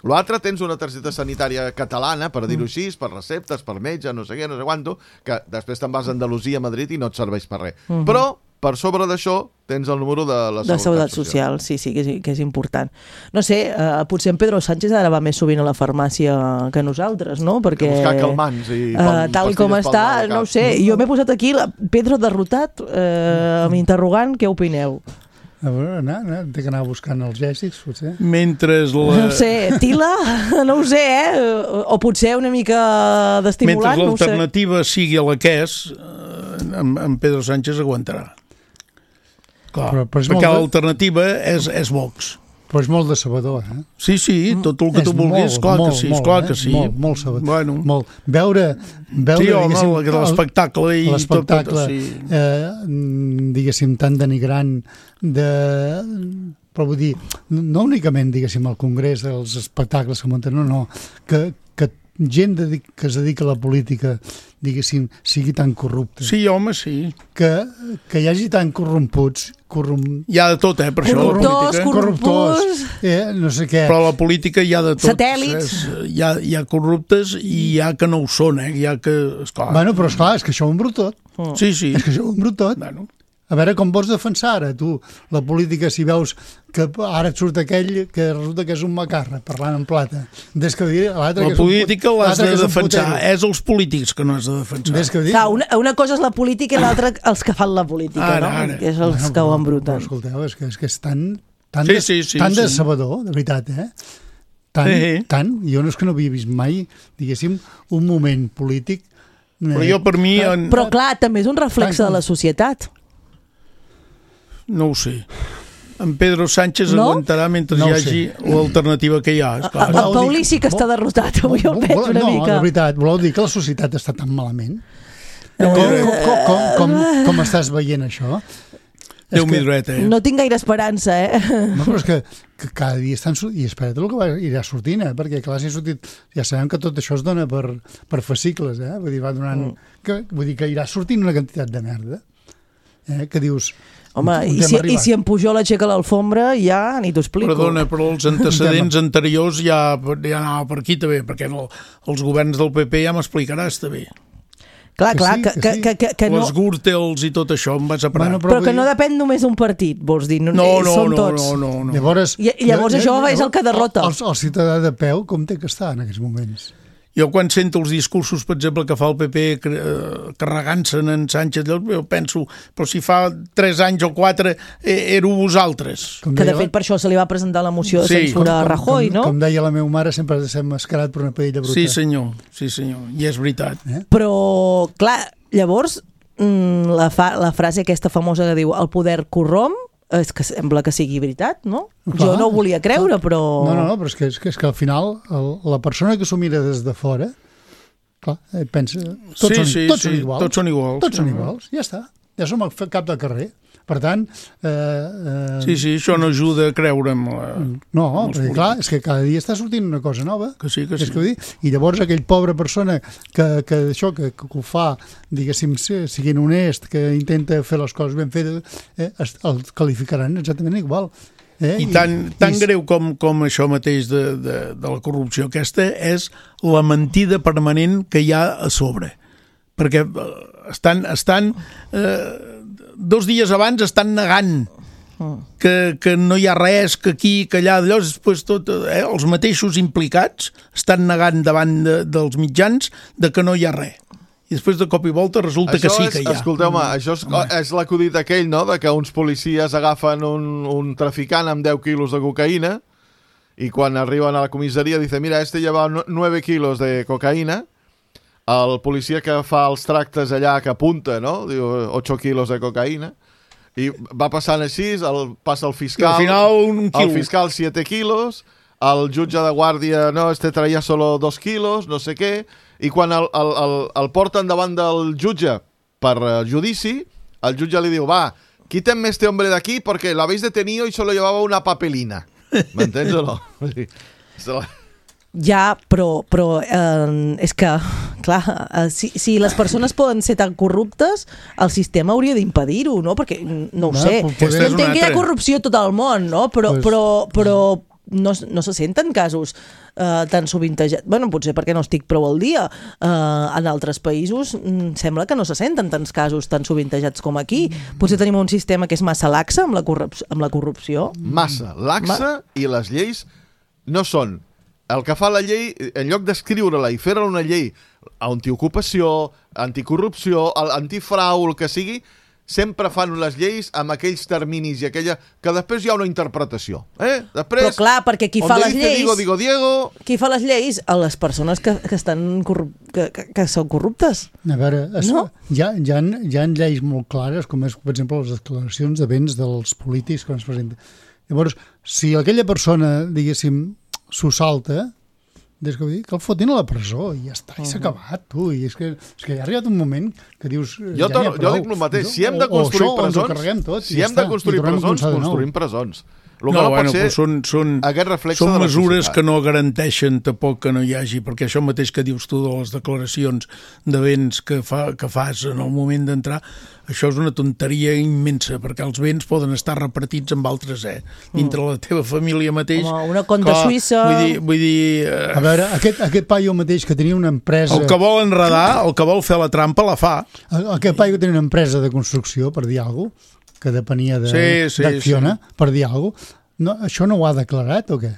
L'altre tens una targeta sanitària catalana, per dir-ho així, per receptes, per metge, no sé què, no sé quanto, que després te'n vas a Andalusia, a Madrid, i no et serveix per res. Uh -huh. Però, per sobre d'això, tens el número de la De Seguretat, Seguretat Social, sí, sí, que és, que és important. No sé, eh, potser en Pedro Sánchez ara va més sovint a la farmàcia que nosaltres, no? Perquè, Que buscar calmants i eh, pal- tal com pastilles pel està, mal de cap. no ho sé. Jo m'he posat aquí, la, Pedro derrotat, eh, amb interrogant, què opineu? A veure, anar, anar, té que anar buscant els gèssics, potser. Mentre No la... ho sé, Tila? No ho sé, eh? O, o potser una mica Mentre d'estimulant, no ho sé. l'alternativa sigui la que és, eh, en, en Pedro Sánchez aguantarà. Clar, Però- però és perquè molt de- l'alternativa és, és Vox. Però és molt decebedor, eh? Sí, sí, tot el que tu vulguis, clar que sí, clar que sí. Molt, molt sabedor. Bueno. Molt. Veure, veure Sí, home, diguéssim, el- l'espectacle i l'espectacle, tot, tot, sí. eh, diguéssim, tan denigrant de... Però vull dir, no únicament, diguéssim, al Congrés, els espectacles que munten, no, no, que, que gent dedic, que es dedica a la política, diguéssim, sigui tan corrupta. Sí, home, sí. Que, que hi hagi tan corromputs, corrom... Hi ha de tot, eh, per això, la Corruptors, política. corruptors. eh, no sé què. Però a la política hi ha de tot. Satèl·lits. És, hi, ha, hi ha corruptes i hi ha que no ho són, eh? Hi ha que... Esclar. Bueno, però esclar, és que això ho embrut tot. Sí, sí. És que això ho embrut tot. Bueno. A veure com vols defensar ara, tu, la política, si veus que ara et surt aquell que resulta que és un macarra, parlant en plata. Des que dir l'altre La que és un política put- l'has l'altre de que és un defensar. putero. És els polítics que no has de defensar. Des que dir... Clar, una, una cosa és la política i l'altra els que fan la política, Ara, no? ara. Que és els Bueno, que ho però- embruten. Però, escolteu, és que és, que és tan, tan, Sí, des, sí, sí, tan sí. decebedor, de veritat, eh? Tan, Sí. tan, jo no és que no havia vist mai, diguéssim, un moment polític Però jo, per mi... En... Però clar, també és un reflex de la societat. No ho sé. En Pedro Sánchez no? aguantarà mentre no hi hagi l'alternativa que hi ha. Esclar. El Paulí sí que està derrotat, avui el veig una no, mica. No, de veritat, voleu dir que la societat està tan malament? Com, com, com, com, com estàs veient això? Déu-m'hi dret, eh? No tinc gaire esperança, eh? No, però és que, que cada dia estan... I espera't el que va, irà sortint, eh? Perquè clar, si ha sortit... Ja sabem que tot això es dona per, per fascicles, eh? Vull dir, va donant... Mm. Que, vull dir que irà sortint una quantitat de merda. Eh? Que dius... Home, i si, i si en Pujol aixeca l'alfombra, ja ni t'ho explico. Perdona, però els antecedents anteriors ja, ja anava per aquí també, perquè el, els governs del P P ja m'explicaràs també. Clar, que clar, sí, que, que que, sí. que, que, que no... Les Gürtels i tot això em vas a parar. Bueno, Però, però que dir... no depèn només d'un partit, vols dir? No, no, no, són no, tots. no, no, no. Llavors, I, i llavors això és el que derrota. El, el ciutadà de peu, com té que estar en aquests moments? Jo quan sento els discursos, per exemple, que fa el P P carregant-se'n en Sánchez, jo penso, però si fa tres anys o quatre eh, éreu vosaltres. Com que de fet per això se li va presentar la moció de Sí. censura a Rajoy, com, no? Com deia la meva mare, sempre s'hem mascarat per una paella bruta. Sí senyor, sí senyor, i és veritat. Eh? Però, clar, llavors mm, la, fa, la frase aquesta famosa que diu el poder corromp, és que sembla que sigui veritat, no? Clar, jo no ho volia creure, però... No, no, no, però és que, és que, és que al final el, la persona que s'ho mira des de fora, clar, eh, pensa... Tots, Sí, són, sí, tots sí, són iguals. tots són iguals. Tots són iguals, ja està. Ja som al cap de carrer. Per tant... Eh, eh, Sí, sí, això no ajuda a creure'm. La... No, perquè clar, és que cada dia està sortint una cosa nova. Que sí, que És sí. que vull dir, i llavors aquell pobre persona que, que això, que, que ho fa, diguéssim, siguin honest, que intenta fer les coses ben fetes, eh, es- el qualificaran exactament igual. Eh? I tan, tan i- greu com, com això mateix de, de, de la corrupció aquesta és la mentida permanent que hi ha a sobre. Perquè eh, estan, estan eh, dos dies abans estan negant que, que no hi ha res, que aquí, que allà, allò, després tot, eh, els mateixos implicats estan negant davant de, dels mitjans de que no hi ha res. I després de cop i volta resulta Això que sí és, que hi ha. Escolteu-me, això és, és l'acudit aquell, no?, de que uns policies agafen un, un traficant amb deu quilos de cocaïna i quan arriben a la comissaria dice, mira, este lleva nueve kilos de cocaïna. El policia que fa els tractes allà, que apunta, no?, diu ocho kilos de cocaïna. I va passant així, el, passa el fiscal... I al final un El quilo. fiscal siete kilos, el jutge de guàrdia, no, este traia solo dos kilos, no sé què, i quan el, el, el, el porten davant del jutge per uh, judici, el jutge li diu, va, quítenme este hombre de aquí porque lo habéis detenido y solo llevaba una papelina. M'entens o no? Se la... Ja, però, però eh, és que, clar, eh, si, si les persones poden ser tan corruptes, el sistema hauria d'impedir-ho, no? Perquè, no ho Va, sé, po- jo poder- entenc que hi ha corrupció a tot el món, no? Però, Pues- però, però no, no se senten casos eh, tan sovintejats. Bueno, potser perquè no estic prou al dia. Eh, en altres països mm, sembla que no se senten tants casos tan sovintejats com aquí. Potser tenim un sistema que és massa laxa amb la, corrup amb la corrupció. Massa laxa i les lleis no són... El que fa la llei, en lloc d'escriure-la i fer-la una llei antiocupació, anticorrupció, antifrau, el que sigui, sempre fan les lleis amb aquells terminis i aquella... que després hi ha una interpretació. Eh? Després, Però clar, perquè qui fa donde les dice lleis... Digo, digo, Diego... Qui fa les lleis? A les persones que, que, estan corrup que, que, que són corruptes. A veure, es, No? hi, ha, hi, ha, hi ha lleis molt clares, com és, per exemple, les declaracions de béns dels polítics quan es presenten. Llavors, si aquella persona, diguéssim, s'ho salta, des que, vull dir, que el fotin a la presó i ja està, i s'ha acabat, tu. I és que, és que ja ha arribat un moment que dius... Jo, ja to, n'hi ha jo prou. dic el mateix, si hem O- de construir o això, o ens ho presons, carreguem tot, i si ja hem de està, construir i tornem a presons, començar de nou. construïm presons. El que No, no bueno, pot ser però són, són, aquest reflex són de la mesures societat. que no garanteixen tampoc que no hi hagi, perquè això mateix que dius tu de les declaracions de béns que, fa, que fas en el moment d'entrar, això és una tonteria immensa, perquè els béns poden estar repartits amb altres, eh? Dintre la teva família mateix. Home, una compte suïssa. Vull dir, vull dir eh, A veure, aquest, aquest paio mateix que tenia una empresa... el que vol enredar, el que vol fer la trampa, la fa. Aquest paio que tenia una empresa de construcció, per dir alguna cosa, que depenia de, Sí, sí, d'Acciona, per dir alguna cosa, no, això no ho ha declarat o què?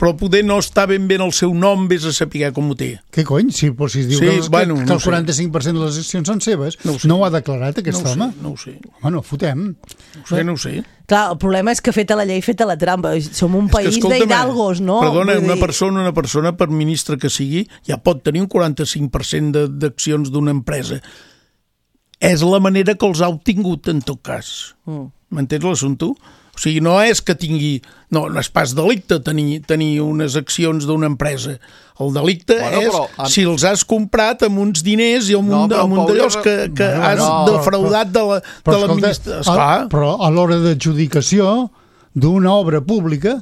però poder no està ben bé en el seu nom, vés a saber com ho té. Què cony? Si, si es diu Sí, que, bueno, que, no que el ho sé. quaranta-cinc per cent de les accions són seves, No no, ho sé. no ho ha declarat aquest No ho sé, home? no ho sé. Home, no fotem. No ho sé, no ho sé. Clar, el problema és que feta la llei, feta la trampa. Som un És que, país escolta'm, d'hidalgos, no? Perdona, Vull una dir- persona, una persona, per ministre que sigui, ja pot tenir un quaranta-cinc per cent de- d'accions d'una empresa. És la manera que els ha obtingut, en tot cas. Mm. M'entens l'assumpte? O sigui, no és que tingui... No, no és pas delicte tenir, tenir unes accions d'una empresa. El delicte Bueno, és però, amb- si els has comprat amb uns diners i amb No, un, però, amb un Pau, d'allòs jo- que, que Bueno, has no, defraudat de la- de l'administració. a, Esclar. però a l'hora d'adjudicació d'una obra pública,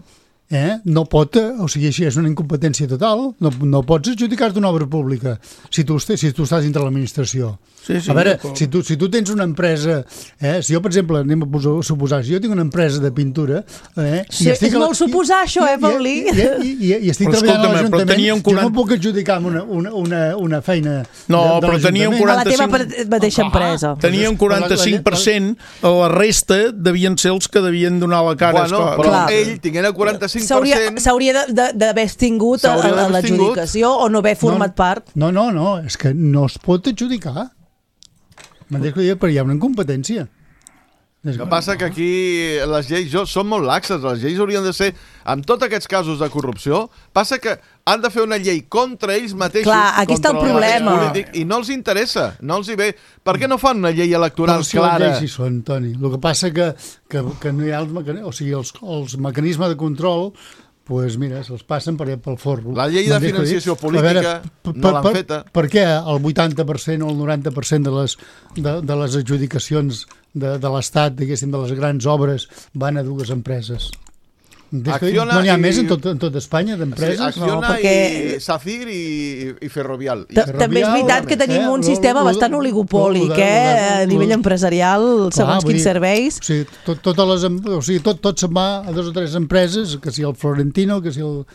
eh, no pot, eh, o sigui, així és una incompetència total, no, no pots adjudicar d'una obra pública si tu, estés, si tu estàs dintre l'administració. Sí, sí, a veure, d'acord. si tu, si tu tens una empresa, eh, si jo, per exemple, anem a posar, suposar, si jo tinc una empresa de pintura... Eh, Sí, és molt suposar, això, eh, Paulí? I, i, i, i, i estic Però treballant a escolta'm, però tenia l'Ajuntament, un jo no quaranta puc adjudicar amb una, una, una, una feina No, de, de però tenia un l'Ajuntament. A la teva quaranta-cinc mateixa empresa. Tenia un quaranta-cinc per cent, la resta devien ser els que devien donar la cara. Bueno, esclar. però Clar. ell, tinguent el quaranta-cinc per S'hauria cent... s'hauria de- de- d'haver extingut a, S'hauria a d'haver l'adjudicació o no haver format part. No, no, no, és que no es pot adjudicar. M'entens que dic? Però hi ha una incompetència. És El que passa que aquí les lleis jo, són molt laxes, les lleis haurien de ser, amb tots aquests casos de corrupció, passa que han de fer una llei contra ells mateixos, Clar, aquí està el contra partit problema. polític, i no els interessa, no els hi ve. Per què no fan una llei electoral Però si clara? les lleis hi són, Toni. El que passa que, que, que no hi ha els, mecan... o sigui, els, els mecanismes de control pues mira, se'ls passen per, pel forro. La llei de M'entens què dic? financiació A política per- no l'han per- feta. Per què el vuitanta per cent o el noranta per cent de les, de, de les adjudicacions de, de l'Estat, diguéssim, de les grans obres, van a dues empreses? M'entens què dic? Acciona No n'hi ha i- més en tot, en tot Espanya Sí, d'empreses? Acciona No, perquè- i Safir i, i Ferrovial. I Ta- Ferrovial, També és veritat que tenim eh, un lo- sistema lo- bastant lo- oligopòlic, lo- lo- eh, lo- a nivell empresarial, segons vull quins dir, serveis. O sigui, tot, totes les, em- o sigui, tot, tot se'n va a dos o tres empreses, que si el Florentino, que si el...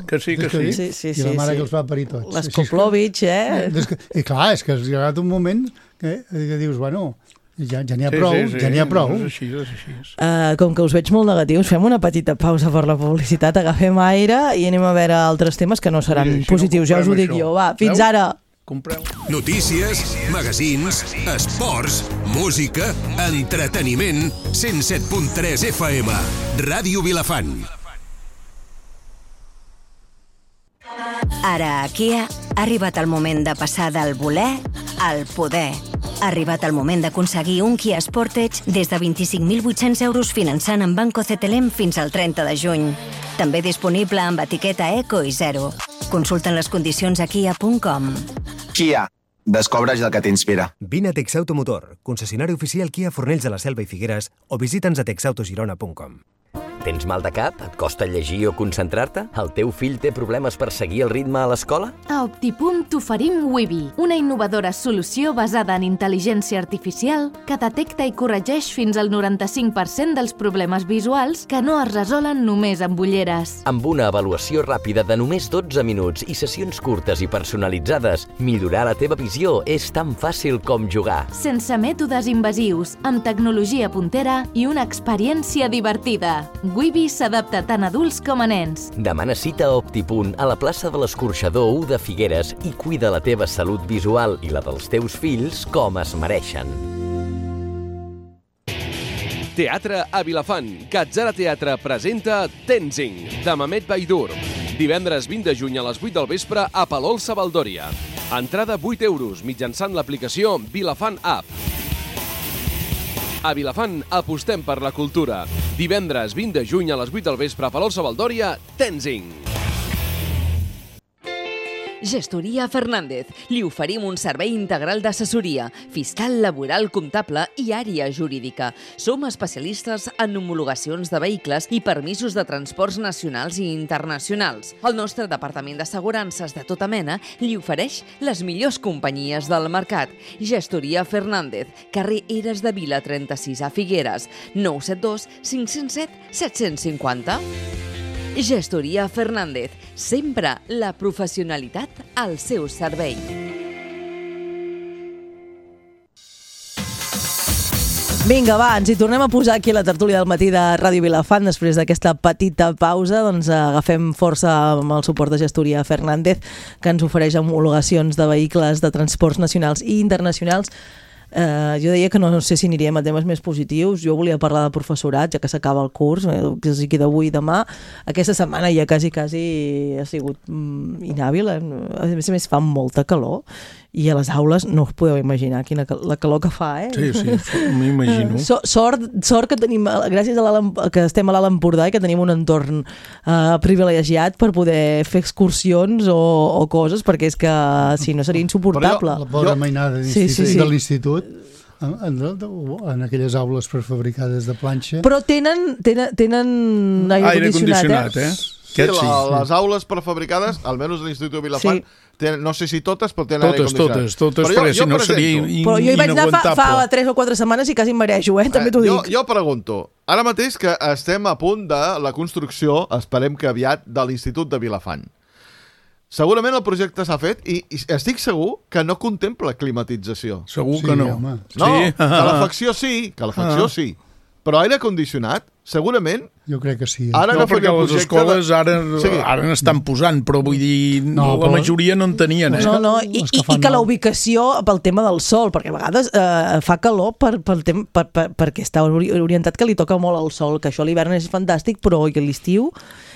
Que sí, que sí. Sí, sí, I la sí, mare sí. que els va parir tots. Les Així és que- Koplovich, eh? És que, I clar, és que has arribat un moment que, que dius, bueno, ja ja n'hi ha Sí, prou, sí, sí. ja n'hi ha prou. És així, és així. Uh, com que us veig molt negatius, fem una petita pausa per la publicitat, agafem aire i anem a veure altres temes que no seran Mira, així no positius, ja us ho comprem dic això. jo. Va, fins Veu? ara! Compreu. Notícies, magazins, esports, música, entreteniment. cent set punt tres F M. Ràdio Vilafant. Ara a Kia ha arribat el moment de passar del voler al poder. Ha arribat el moment d'aconseguir un Kia Sportage des de vint-i-cinc mil vuit-cents euros finançant amb Banco C T L M fins al trenta de juny. També disponible amb etiqueta Eco i Zero. Consulten les condicions a kia punt com. Kia. Descobreix el que t'inspira. Vine a Texauto Motor, concessionari oficial Kia Fornells de la Selva i Figueres, o visita'ns a texautogirona punt com. Tens mal de cap? Et costa llegir o concentrar-te? El teu fill té problemes per seguir el ritme a l'escola? A Optipunt t'oferim Wibi, una innovadora solució basada en intel·ligència artificial que detecta i corregeix fins al noranta-cinc per cent dels problemes visuals que no es resolen només amb ulleres. Amb una avaluació ràpida de només dotze minuts i sessions curtes i personalitzades, millorar la teva visió és tan fàcil com jugar. Sense mètodes invasius, amb tecnologia puntera i una experiència divertida. Wibi s'adapta tant a adults com a nens. Demana cita a Optipunt a la plaça de l'Escorxador u de Figueres i cuida la teva salut visual i la dels teus fills com es mereixen. Teatre a Vilafant. Catzara Teatre presenta Tenzing, de Mamet Baidur. Divendres vint de juny a les vuit del vespre a Palol Sabaldòria. Entrada vuit euros mitjançant l'aplicació Vilafant App. A Vilafant apostem per la cultura. Divendres vint de juny a les vuit del vespre a Palol Sabaldòria, Tenzing. Gestoria Fernández. Li oferim un servei integral d'assessoria, fiscal, laboral, comptable i àrea jurídica. Som especialistes en homologacions de vehicles i permisos de transports nacionals i internacionals. El nostre departament d'assegurances de tota mena li ofereix les millors companyies del mercat. Gestoria Fernández, carrer Eres de Vila trenta-sis a Figueres, nou set dos cinc zero set set cinc zero. Gestoria Fernández, sempre la professionalitat al seu servei. Vinga, va, ens hi tornem a posar aquí a la tertúlia del matí de Ràdio Vilafant. Després d'aquesta petita pausa, doncs agafem força amb el suport de Gestoria Fernández, que ens ofereix homologacions de vehicles de transports nacionals i internacionals. Uh, jo deia que no, no sé si aniríem a temes més positius. Jo volia parlar de professorat, ja que s'acaba el curs, que es queda avui i demà. Aquesta setmana ja quasi, quasi ha sigut mm, inhàbil. A més a més fa molta calor i a les aules no us podeu imaginar quina la calor que fa, eh? Sí, sí, m'imagino. So, sort, sort que tenim, gràcies a que estem a l'Alt Empordà i que tenim un entorn uh, privilegiat per poder fer excursions o, o coses, perquè és que si no seria insuportable. La pobra mainada sí, sí, sí. de l'institut, en, en, en aquelles aules prefabricades de planxa. Però tenen, tenen, tenen aire, aire condicionat, condicionat, eh? eh? Sí, la, les aules prefabricades, almenys a l'Institut de Vilafant, sí. tenen, no sé si totes, però tenen totes, aire condicionat. Totes, totes, però perquè jo, si no presento, seria in, però jo hi vaig anar fa, fa tres o quatre setmanes i quasi em marejo, eh? També t'ho eh, dic. Jo, jo pregunto, ara mateix que estem a punt de la construcció, esperem que aviat, de l'Institut de Vilafant. Segurament el projecte s'ha fet i, i estic segur que no contempla climatització. Segur sí, que no. Home. No, sí. calefacció sí, calefacció ah. sí. Però aire condicionat, segurament... Jo crec que sí. Ara no, perquè les escoles de... ara, sí. ara n'estan posant, però vull dir, no, la però... majoria no en tenien. Eh? No, no, i, i, i que la ubicació pel tema del sol, perquè a vegades eh, fa calor per, per, per, per, perquè està orientat que li toca molt el sol, que això a l'hivern és fantàstic, però i l'estiu...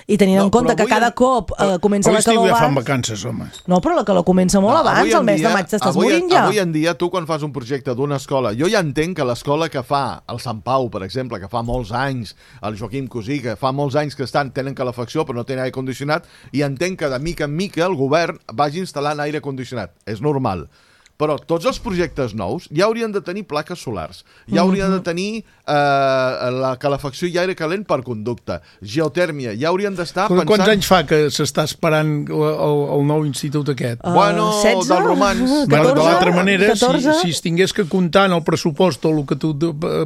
I tenint no, en compte que cada cop eh, comença la calor abans... ja fan vacances, home. No, però la calor comença molt no, abans, al mes dia, de maig t'estàs morint ja. Avui en dia, tu quan fas un projecte d'una escola, jo ja entenc que l'escola que fa el Sant Pau, per exemple, que fa molts anys, el Joaquim Cosí, que fa molts anys que estan tenen calefacció però no tenen aire condicionat, i entenc que de mica en mica el govern vagi instal·lant aire condicionat. És normal. Però tots els projectes nous ja haurien de tenir plaques solars, ja haurien de tenir eh, la calefacció i aire calent per conducte, geotèrmia, ja haurien d'estar pensant... Quants anys fa que s'està esperant el, el, el nou institut aquest? Uh, bueno, setze? dels romans... Bueno, de l'altra manera, si, si es tingués que comptar en el pressupost o el que tu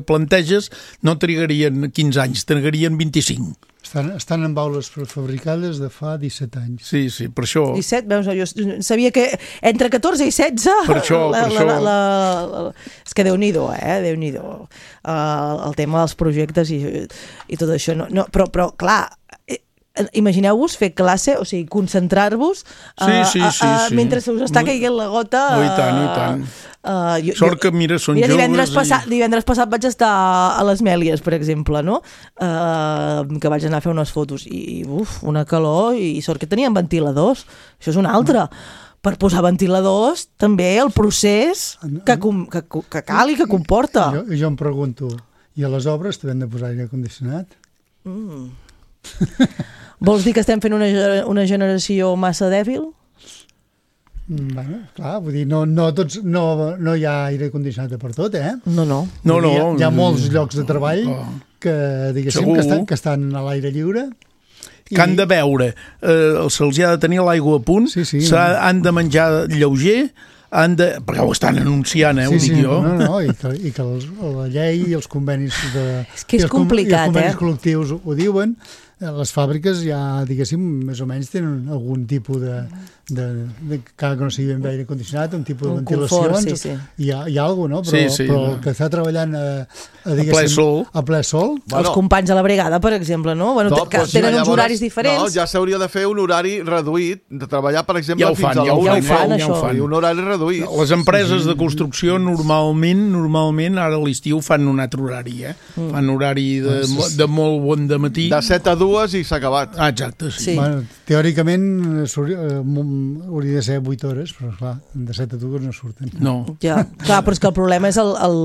planteges, no trigarien quinze anys, trigarien vint-i-cinc. Estan, estan en aules prefabricades de fa disset anys. Sí, sí, per això... disset, veus, jo sabia que entre catorze i setze... Per això, la, per això... La, la, la, és que Déu-n'hi-do, eh? Déu-n'hi-do. Uh, el tema dels projectes i, i tot això. No, no, però, però, clar... Imagineu-vos fer classe, o sigui, concentrar-vos uh, sí, sí, sí, uh, sí. mentre se us està caient la gota. Uh, I tant, i tant. Uh, jo, Sort que, mira, són mira, divendres joves. Passat, I... divendres passat vaig estar a les Mèlies, per exemple, no? Uh, que vaig anar a fer unes fotos i, uf, una calor, i sort que tenien ventiladors. Això és una altra. Per posar ventiladors, també el procés que, que, que cal i que comporta. Jo, jo em pregunto, i a les obres també han de posar aire condicionat? Mm. Vols dir que estem fent una, una generació massa dèbil? Bueno, clar, vull dir, no, no, tots, no, no hi ha aire condicionat per tot, eh? No, no. no, no. Hi, ha, hi ha molts llocs de treball que, diguéssim, que estan, que estan a l'aire lliure. Que han de beure, eh, se'ls ha de tenir l'aigua a punt, sí, sí, han de menjar lleuger, han de... perquè ho estan anunciant, eh, sí, ho dic sí, jo. No, no, i que, i que els, la llei i els convenis de, és que és i els, complicat, i els convenis eh? col·lectius ho diuen. Les fàbriques ja, diguéssim, més o menys tenen algun tipus de, de, de cada que no sigui ben aire condicionat, un tipus de ventilacions, sí, sí. Hi, ha, hi ha alguna cosa, no? Però, sí, sí, però no. el que està treballant a, a, a ple sol, a ple sol bueno, els companys de la brigada, per exemple, no? Bueno, no, que pues, tenen ja, uns horaris llavors, diferents. No, ja s'hauria de fer un horari reduït, de treballar, per exemple, ja fins fan, a ja la una. Ja ho fan, ja ho fan. I un horari reduït. Les empreses de construcció normalment, normalment ara a l'estiu fan un altre horari, eh? Mm. Fan horari de, de molt bon de matí. De set a dues i s'ha acabat. Ah, exacte, sí. sí. Bueno, teòricament hauria de ser vuit hores, però clar, de set a dues no surten. No. Ja, clar, però és que el problema és el, el,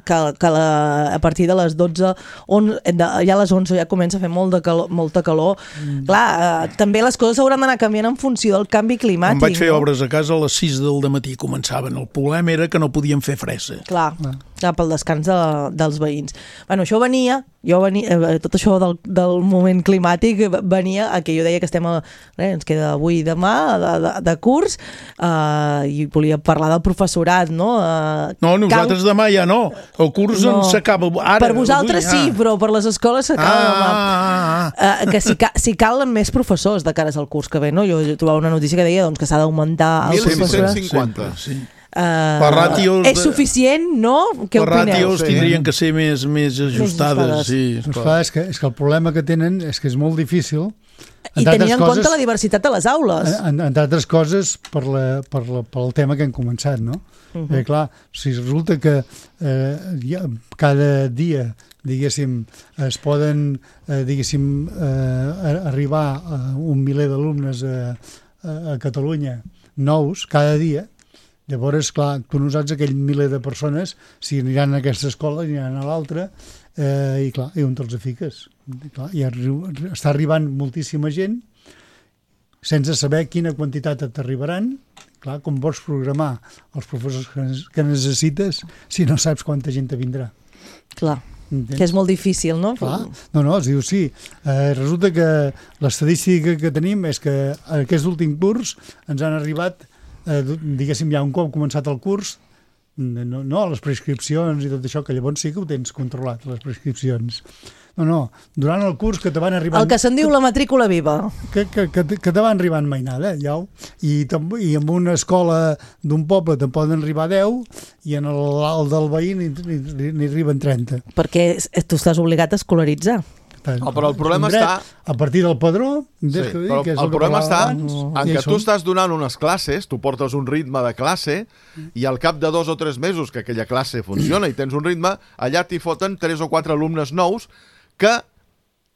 que, que la, a partir de les dotze, on, de, ja a les onze ja comença a fer molt de calor, molta calor. Mm. Clar, eh, també les coses hauran d'anar canviant en funció del canvi climàtic. Em vaig fer no? obres a casa a les sis del dematí començaven. El problema era que no podíem fer fresa. Clar, clar. clar pel descans de, dels veïns. Bueno, això venia, jo venia, eh, tot això del, del moment climàtic venia a que jo deia que estem a, eh, ens queda avui i demà de, de, de curs eh, i volia parlar del professorat, no? Eh, no, nosaltres cal... demà ja no. El curs no. s'acaba ara. Per vosaltres avui, sí, ah. però per les escoles s'acaba ah, demà. Ah, ah. Eh, que si, ca, si calen més professors de cares al curs que ve, no? Jo trobava una notícia que deia doncs, que s'ha d'augmentar el mil cinc-cents cinquanta. Sí. Uh, ràtios és suficient, no? Què les opineu? ràtios tindrien que ser més, més ajustades. Sí, doncs clar, és, que, és que el problema que tenen és que és molt difícil. I tenint en coses, compte la diversitat de les aules. En, entre altres coses, per la, per la, pel tema que hem començat, no? Uh -huh. eh, clar, si resulta que eh, ja, cada dia, diguéssim, es poden, eh, diguéssim, eh, arribar a un miler d'alumnes a, a, a Catalunya nous cada dia, llavors, clar, tu no saps aquell miler de persones si aniran a aquesta escola, aniran a l'altra, eh, i clar, i on te'ls fiques? I, clar, i arri està arribant moltíssima gent sense saber quina quantitat t'arribaran. Clar, com vols programar els professors que necessites si no saps quanta gent te vindrà? Clar, entens? Que és molt difícil, no? Clar, no, no, es diu sí. Eh, resulta que l'estadística que tenim és que aquest últim curs ens han arribat, eh, diguéssim, ja un cop començat el curs, no, no, les prescripcions i tot això, que llavors sí que ho tens controlat, les prescripcions. No, no, durant el curs que te van arribant... El que se'n diu la matrícula viva. Que, que, que, que te van arribant mainada, ja. I, I en una escola d'un poble te'n poden arribar deu i en el, el del veí n'hi arriben trenta. Perquè tu estàs obligat a escolaritzar. Oh, però el problema està... A partir del padró... Sí, però el, el problema està en que tu estàs donant unes classes, tu portes un ritme de classe i al cap de dos o tres mesos que aquella classe funciona i tens un ritme, allà t'hi foten tres o quatre alumnes nous que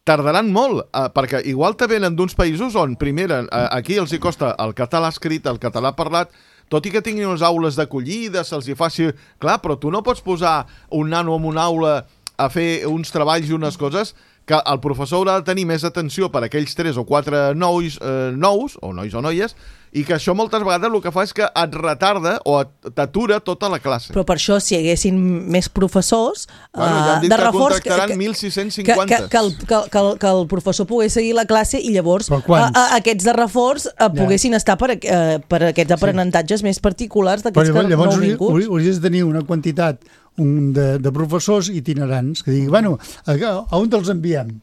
tardaran molt, eh, perquè igual te venen d'uns països on, primera, eh, aquí els hi costa el català escrit, el català parlat, tot i que tinguin unes aules d'acollida, se'ls hi faci... Clar, però tu no pots posar un nano en una aula a fer uns treballs i unes coses que el professor haurà de tenir més atenció per a aquells tres o quatre nois, eh, nous, o nois o noies, i que això moltes vegades el que fa és que et retarda o t'atura tota la classe. Però per això, si hi haguessin més professors bueno, ja han dit de que reforç... contractaran mil sis-cents cinquanta. Que, que, que, el, que, que, el, que el professor pogués seguir la classe i llavors a, a, aquests de reforç a, poguessin ja. estar per, a, per aquests aprenentatges sí. més particulars d'aquests que llavors, no vinguts. Hauries de tenir una quantitat un de, de professors itinerants que diguin, bueno, a, a on te'ls enviem?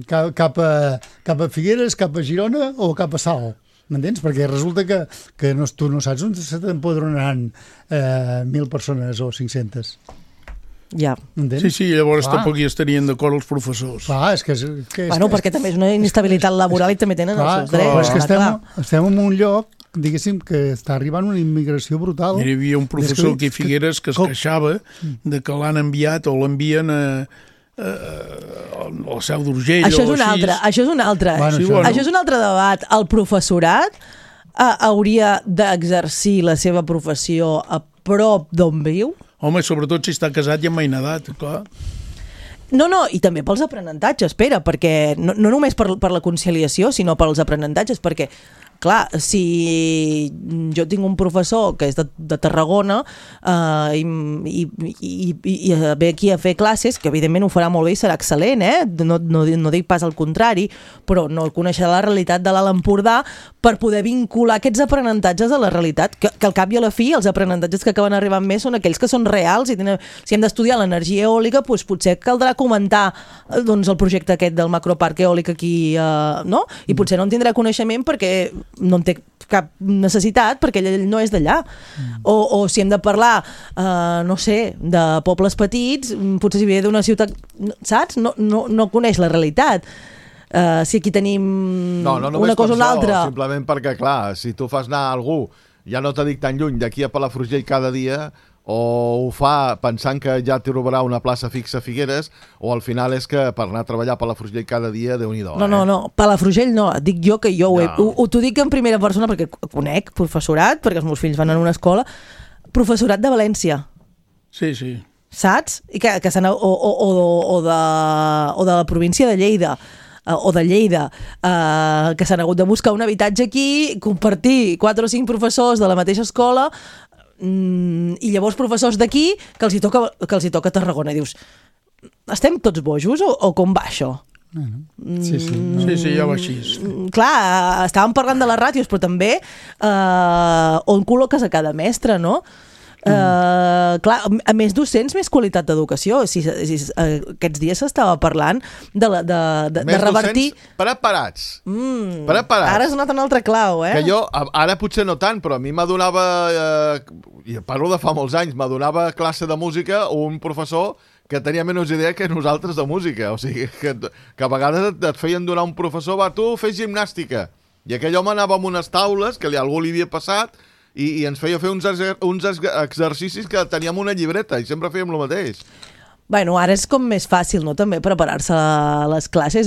Cap, cap, a, cap a Figueres, cap a Girona o cap a Salt? M'entens? Perquè resulta que, que no, tu no saps on se t'empadronaran eh, mil persones o cinc-centes. Ja. Entens? Sí, sí, llavors Clar. tampoc hi estarien d'acord els professors. Clar, és que... És, que és, bueno, que, perquè també és una inestabilitat laboral i també tenen Clar, els seus drets. Però és que estem, estem en un lloc, diguéssim, que està arribant una immigració brutal. Hi havia un professor aquí a Figueres que es queixava de que l'han enviat o l'envien a... el seu d'Urgell això és o un així. altre, això és un altre bueno, sí, això, bueno. això és un altre debat. El professorat uh, hauria d'exercir la seva professió a prop d'on viu? Home, sobretot si està casat i amb mainedat, clar. No, no, i també pels aprenentatges, espera, perquè no, no només per, per la conciliació, sinó pels aprenentatges, perquè clar, si jo tinc un professor que és de, de Tarragona uh, i, i, i, i ve aquí a fer classes, que evidentment ho farà molt bé i serà excel·lent, eh? no, no, no dic pas al contrari, però no coneixerà la realitat de l'Alt Empordà per poder vincular aquests aprenentatges a la realitat, que, que al cap i a la fi els aprenentatges que acaben arribant més són aquells que són reals i tenen, si hem d'estudiar l'energia eòlica, doncs potser caldrà comentar doncs, el projecte aquest del macroparc eòlic aquí, uh, no? I potser no en tindrà coneixement perquè no en té cap necessitat perquè ell no és d'allà. Mm. O, o si hem de parlar, uh, no sé, de pobles petits, potser si ve d'una ciutat, saps? No, no, no coneix la realitat. Uh, si aquí tenim no, no una cosa o una altra... Simplement perquè, clar, si tu fas anar a algú, ja no t'ho dic tan lluny, d'aquí a Palafrugell cada dia, o ho fa pensant que ja trobarà una plaça fixa a Figueres, o al final és que per anar a treballar a Palafrugell cada dia, Déu-n'hi-do. No, eh? no, no, Palafrugell no, et dic jo que jo ho, he, no. ho, ho t'ho dic en primera persona perquè conec professorat, perquè els meus fills van a una escola, professorat de València. Sí, sí. Saps? I que, que o, o, o, o, de, o de la província de Lleida, o de Lleida, eh, que s'han hagut de buscar un habitatge aquí, compartir quatre o cinc professors de la mateixa escola, i llavors professors d'aquí que els hi toca, que els hi toca a Tarragona. I dius, estem tots bojos o, o com va això? Sí, sí, no. sí, sí, ja va així. Clar, estàvem parlant de les ràtios, però també eh, on col·loques a cada mestre, no? Uh, clar, a més docents, més qualitat d'educació. Si, si, uh, aquests dies s'estava parlant de, la, de, de, de revertir... Més docents preparats. Mm, preparats. Ara has donat un altre clau, eh? Que jo, ara potser no tant, però a mi m'adonava, eh, i parlo de fa molts anys, m'adonava classe de música un professor que tenia menys idea que nosaltres de música. O sigui, que, que a vegades et, et feien donar un professor, va, tu fes gimnàstica. I aquell home anava amb unes taules que li, algú li havia passat i, i ens feia fer uns, uns exercicis que teníem una llibreta i sempre fèiem el mateix. Bueno, ara és com més fàcil, no?, també preparar-se a les classes.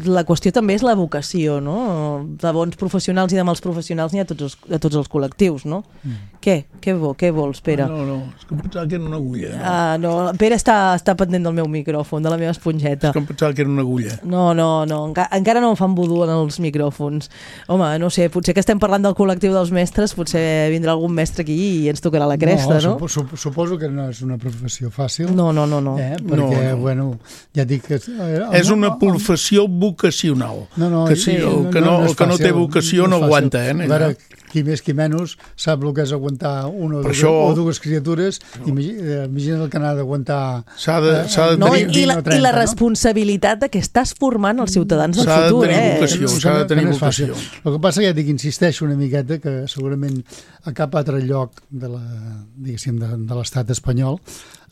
La qüestió també és la vocació, no? De bons professionals i de mals professionals n'hi ha a tots els, a tots els col·lectius, no? Mm. Què? Què, vo, què vols, Pere? No, no, és que em pensava que era una agulla. No, ah, no. Pere està, està pendent del meu micròfon, de la meva esponjeta. És que em pensava que era una agulla. No, no, no, enca encara no em fan vudú en els micròfons. Home, no sé, potser que estem parlant del col·lectiu dels mestres, potser vindrà algun mestre aquí i ens tocarà la cresta, no? No, supo, suposo que no és una professió fàcil. No, no, no. no. Eh? Perquè, no, no. bueno, ja dic que... Eh, és una professió vocacional. No, no, que sí, el que no, no, no, que no té vocació no, no aguanta, eh? A veure, qui més qui menys sap el que és aguantar una o, dues, això... o dues criatures. No. Imagina el que n'ha d'aguantar... S'ha de, s'ha de no, tenir... I la, trenta, i la responsabilitat no? de que estàs formant els ciutadans del futur. S'ha de tenir vocació, eh? s'ha de tenir vocació. El que passa que ja dic, insisteixo una miqueta que segurament a cap altre lloc de la, diguéssim, de, de l'estat espanyol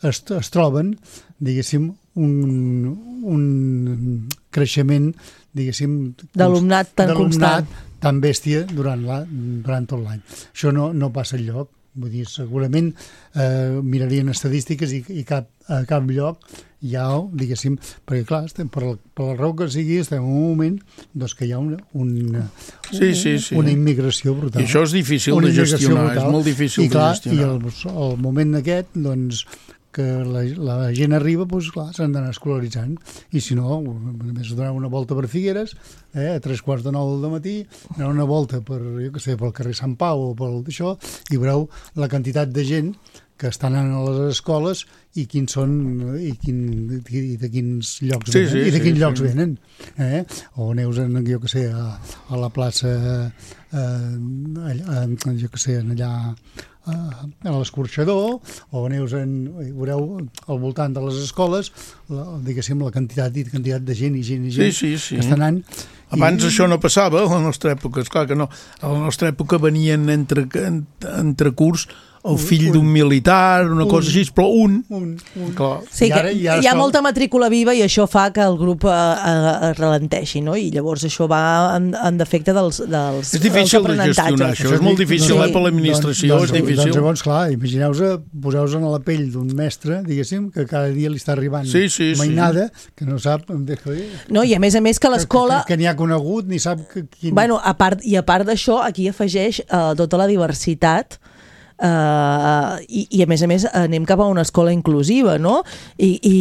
es, es troben, diguéssim, un, un creixement, diguéssim... D'alumnat tan constant. tan bèstia durant, la, durant tot l'any. Això no, no passa enlloc. Vull dir, segurament eh, mirarien estadístiques i, i cap, a cap lloc hi ha, diguéssim, perquè clar, estem, per, la, per la raó que sigui, estem en un moment doncs, que hi ha una, una, sí, sí, sí. una immigració brutal. I això és difícil de gestionar, brutal. És molt difícil I, clar, de gestionar. I el, el moment aquest, doncs, que la, la gent arriba, doncs clar, s'han d'anar escolaritzant. I si no, només donar una volta per Figueres, eh, a tres quarts de nou del matí, anar una volta per, jo què sé, pel carrer Sant Pau o pel d'això, i veureu la quantitat de gent que estan anant a les escoles i quins són i, quin, i de quins llocs sí, venen, sí, i de quins sí, llocs sí. venen. Eh? O aneu, en, jo què sé, a, a la plaça, eh, allà, jo què sé, allà a l'escorxador, o aneu en, veureu al voltant de les escoles, la, diguéssim, la quantitat i quantitat de gent i gent i gent sí, sí, sí. que estan anant. Abans I... això no passava a la nostra època, esclar que no. A la nostra època venien entre, entre curs el fill d'un militar, una un, cosa així, però un. un, un. Clar. Sí, que hi ha sol... molta matrícula viva i això fa que el grup eh, eh, ralenteixi, no? I llavors això va en, en defecte dels, dels És difícil de gestionar, això, això és molt difícil, sí. eh, per l'administració, doncs, és difícil. Doncs llavors, clar, imagineu-vos, poseu-vos en la pell d'un mestre, diguéssim, que cada dia li està arribant sí, sí, mainada, sí. que no sap... No, i a més a més que l'escola... Que, que, que n'hi ha conegut, ni sap... Que, quin... Bueno, a part, i a part d'això, aquí afegeix eh, tota la diversitat. Uh, i, i a més a més anem cap a una escola inclusiva, no? I, i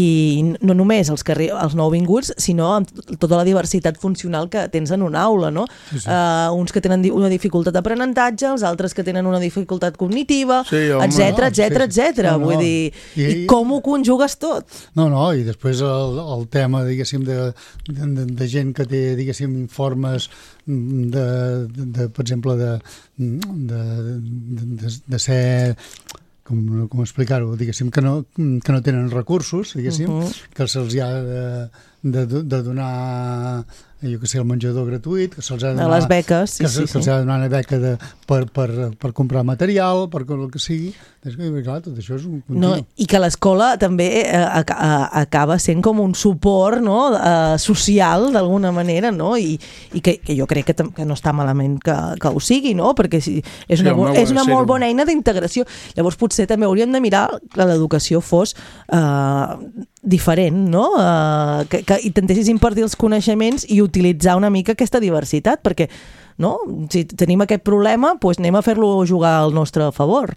no només els, que, els nouvinguts, sinó amb tota la diversitat funcional que tens en una aula, no? Sí, sí. Uh, uns que tenen una dificultat d'aprenentatge, els altres que tenen una dificultat cognitiva, sí, etcètera, etcètera, etcètera. Vull no. dir, I, i com ho conjugues tot? No, no, i després el, el tema, diguéssim, de, de, de gent que té, diguéssim, informes de, de, de per exemple, de, de, de, de ser... Com, com explicar-ho, diguéssim, que no, que no tenen recursos, diguéssim, uh -huh. que se'ls ha de, de, de donar, jo que sé, el menjador gratuït, que se'ls ha de donar... Les beques, sí, que sí, se'ls sí. ha de donar una beca de, per, per, per comprar material, per el que sigui. És que, clar, tot això és un continu. No, i que l'escola també eh, acaba sent com un suport, no? eh, social, d'alguna manera, no? I, i que, que jo crec que, que no està malament que, que ho sigui, no? Perquè si, és una, sí, és una molt bona eina d'integració. Llavors potser també hauríem de mirar que l'educació fos eh, diferent, no? Eh, que, que intentessis impartir els coneixements i utilitzar una mica aquesta diversitat, perquè no? Si tenim aquest problema, doncs anem a fer-lo jugar al nostre favor.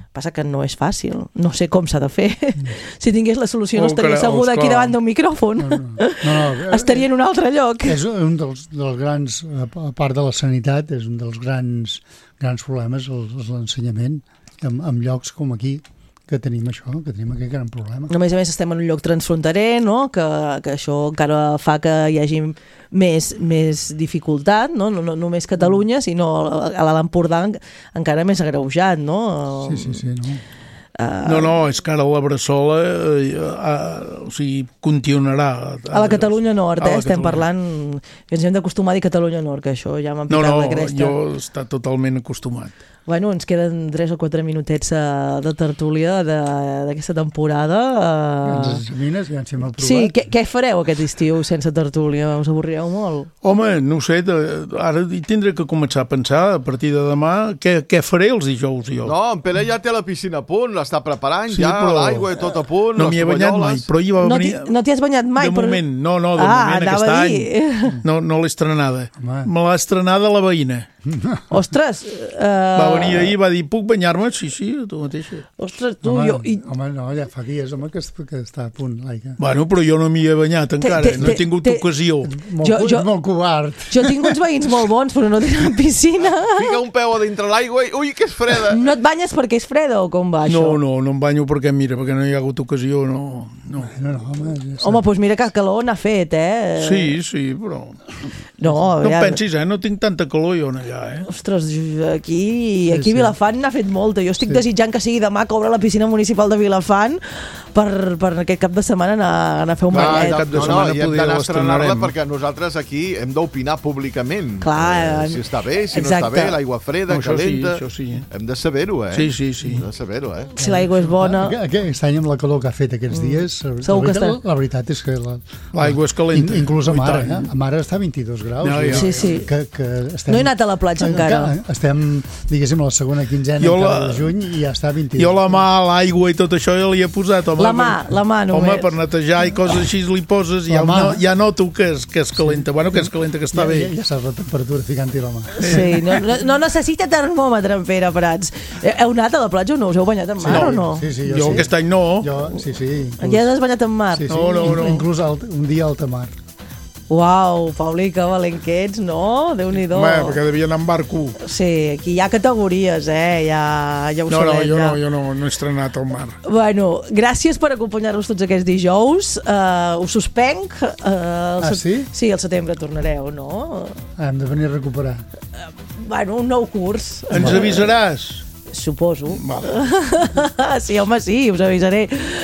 Passa que no és fàcil, no sé com s'ha de fer. Mm. Si tingués la solució no estaria asseguda aquí davant d'un micròfon. No, no. No, no. Estaria en un altre lloc. És un dels, dels grans, a part de la sanitat, és un dels grans, grans problemes, l'ensenyament, en, en llocs com aquí, que tenim això, que tenim aquest gran problema. A més a més estem en un lloc transfronterer, no? que, que això encara fa que hi hagi més, més dificultat, no? No, no només Catalunya, sinó a l'Alt Empordà encara més agreujat, no? Sí, sí, sí. No? Uh, no, no, és que ara la Bressola eh, uh, o sigui, continuarà. A la Catalunya Nord, eh, la estem Catalunya. parlant, ens hem d'acostumar a dir Catalunya Nord, que això ja m'ha picat no, no, la cresta. No, no, jo està totalment acostumat. Bueno, ens queden tres o quatre minutets uh, de tertúlia d'aquesta temporada. Uh... Ens examines, ja ens hem aprovat. Sí, què, què fareu aquest estiu sense tertúlia? Us avorrireu molt? Home, no ho sé, de, ara hi tindré que començar a pensar a partir de demà què, què faré els dijous jo. No, en Pere ja té la piscina a punt, l'està preparant, sí, ja però... l'aigua i tot a punt, no les m'hi he banyat mai, però hi va no venir... No t'hi has banyat mai? De però... moment, no, no, de ah, moment aquest any. No, no l'he estrenada. Home. Me l'ha estrenada la veïna. Ostres! Uh... Va venir ahir i va dir, puc banyar-me? Sí, sí, tu mateixa. Ostres, tu, home, jo... I... Home, no, ja fa dies, home, que, que està a punt l'aigua. Bueno, però jo no m'hi he banyat encara, te, te, no he tingut te, ocasió. Molt, jo, jo, molt covard. Jo tinc uns veïns molt bons, però no tenen piscina. Fica un peu a dintre l'aigua i, ui, que és freda. No et banyes perquè és freda o com va això? No, no, no em banyo perquè, mira, perquè no hi ha hagut ocasió, no. No, no, no home, ja home, doncs mira que calor n'ha fet, eh? Sí, sí, però... No, no ja... pensis, eh? No tinc tanta calor jo allà, eh? Ostres, aquí, aquí sí, sí. Vilafant n'ha fet molta. Jo estic sí. desitjant que sigui demà que obre la piscina municipal de Vilafant per, per aquest cap de setmana anar, anar a fer un Clar, ballet. Cap de no, no, i hem d'anar a estrenar-la perquè nosaltres aquí hem d'opinar públicament. Clar, eh, si està bé, si exacte. no està bé, l'aigua freda, no, calenta... Sí, sí. Hem de saber-ho, eh? Sí, sí, sí. Hem de saber-ho, eh? Si l'aigua és bona... Aquest any amb la calor que ha fet aquests dies, mm. la, veritat, la veritat és que... L'aigua és calenta. In, inclús a Mare, eh? A Mare està a vint-i-dos graus. No, ja. Sí, sí. Que, que estem, no he anat a la platja encara. Estem, diguéssim, a la segona quinzena la, de juny i ja està a vint-i-dos. Jo la mà, l'aigua i tot això ja li he posat. Home, la mà, la mà només. Home, per netejar i coses així li poses i ja, no, ja noto que és, que és calenta. Bueno, que és calenta, que està ja, bé. Ja, ja saps la temperatura ficant-hi la mà. Sí, no, no, no necessita termòmetre en Pere Prats. Heu anat a la platja o no? Us heu banyat en mar sí, o no? Sí, sí, jo, jo sí. aquest any no. Jo, sí, sí. Inclús... Ja has banyat en mar? Sí, sí. No, no, no. Inclús alt, un dia a alta mar. Uau, Pauli, que valent que ets, no? Déu-n'hi-do. Home, perquè devia anar amb barco. Sí, aquí hi ha categories, eh? Ja, ja ho no, sabem. No, jo ja. no, jo no, no he estrenat al mar. Bueno, gràcies per acompanyar-nos tots aquests dijous. Uh, us suspenc. Uh, ah, sí? Sí, al setembre tornareu, no? Ah, hem de venir a recuperar. Uh, bueno, un nou curs. Ens avisaràs? Suposo. Vale. Sí, home, sí, us avisaré.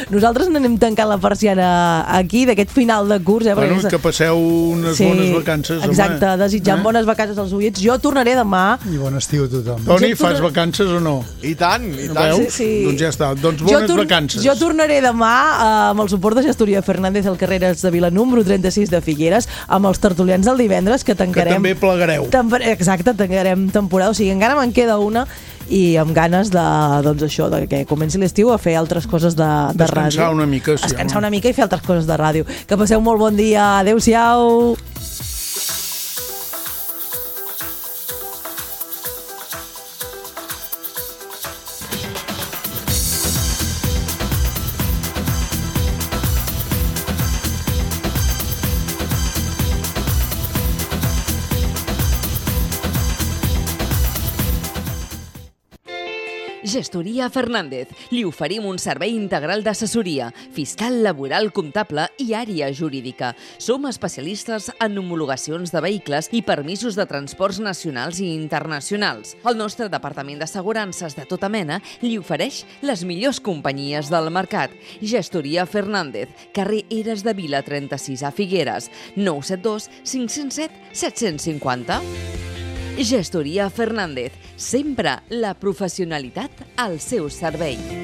Nosaltres n'anem tancant la persiana aquí, d'aquest final de curs. Eh, bueno, que passeu unes sí, bones vacances. Exacte, home. desitjant eh? bones vacances als oients. Jo tornaré demà. I bon estiu a tothom. Toni, jo fas vacances o no? I tant, i tant. Veus? Sí, sí. Doncs ja està, doncs bones jo vacances. Jo tornaré demà uh, amb el suport de Gestoria Fernández al Carreres de Vila número trenta-sis de Figueres, amb els tertulians del divendres, que tancarem... Que també plegareu. Temp Exacte, tancarem temporada, o sigui, encara me'n queda una i amb ganes de, doncs això, de que comenci l'estiu a fer altres coses de, de ràdio. Descansar una mica, sí. Descansar una mica i fer altres coses de ràdio. Que passeu molt bon dia. Adéu-siau. Gestoria Fernández. Li oferim un servei integral d'assessoria, fiscal, laboral, comptable i àrea jurídica. Som especialistes en homologacions de vehicles i permisos de transports nacionals i internacionals. El nostre departament d'assegurances de tota mena li ofereix les millors companyies del mercat. Gestoria Fernández, carrer Eres de Vila trenta-sis a Figueres, nou set dos cinc zero set set cinc zero. Gestoria Fernández, sempre la professionalitat al seu servei.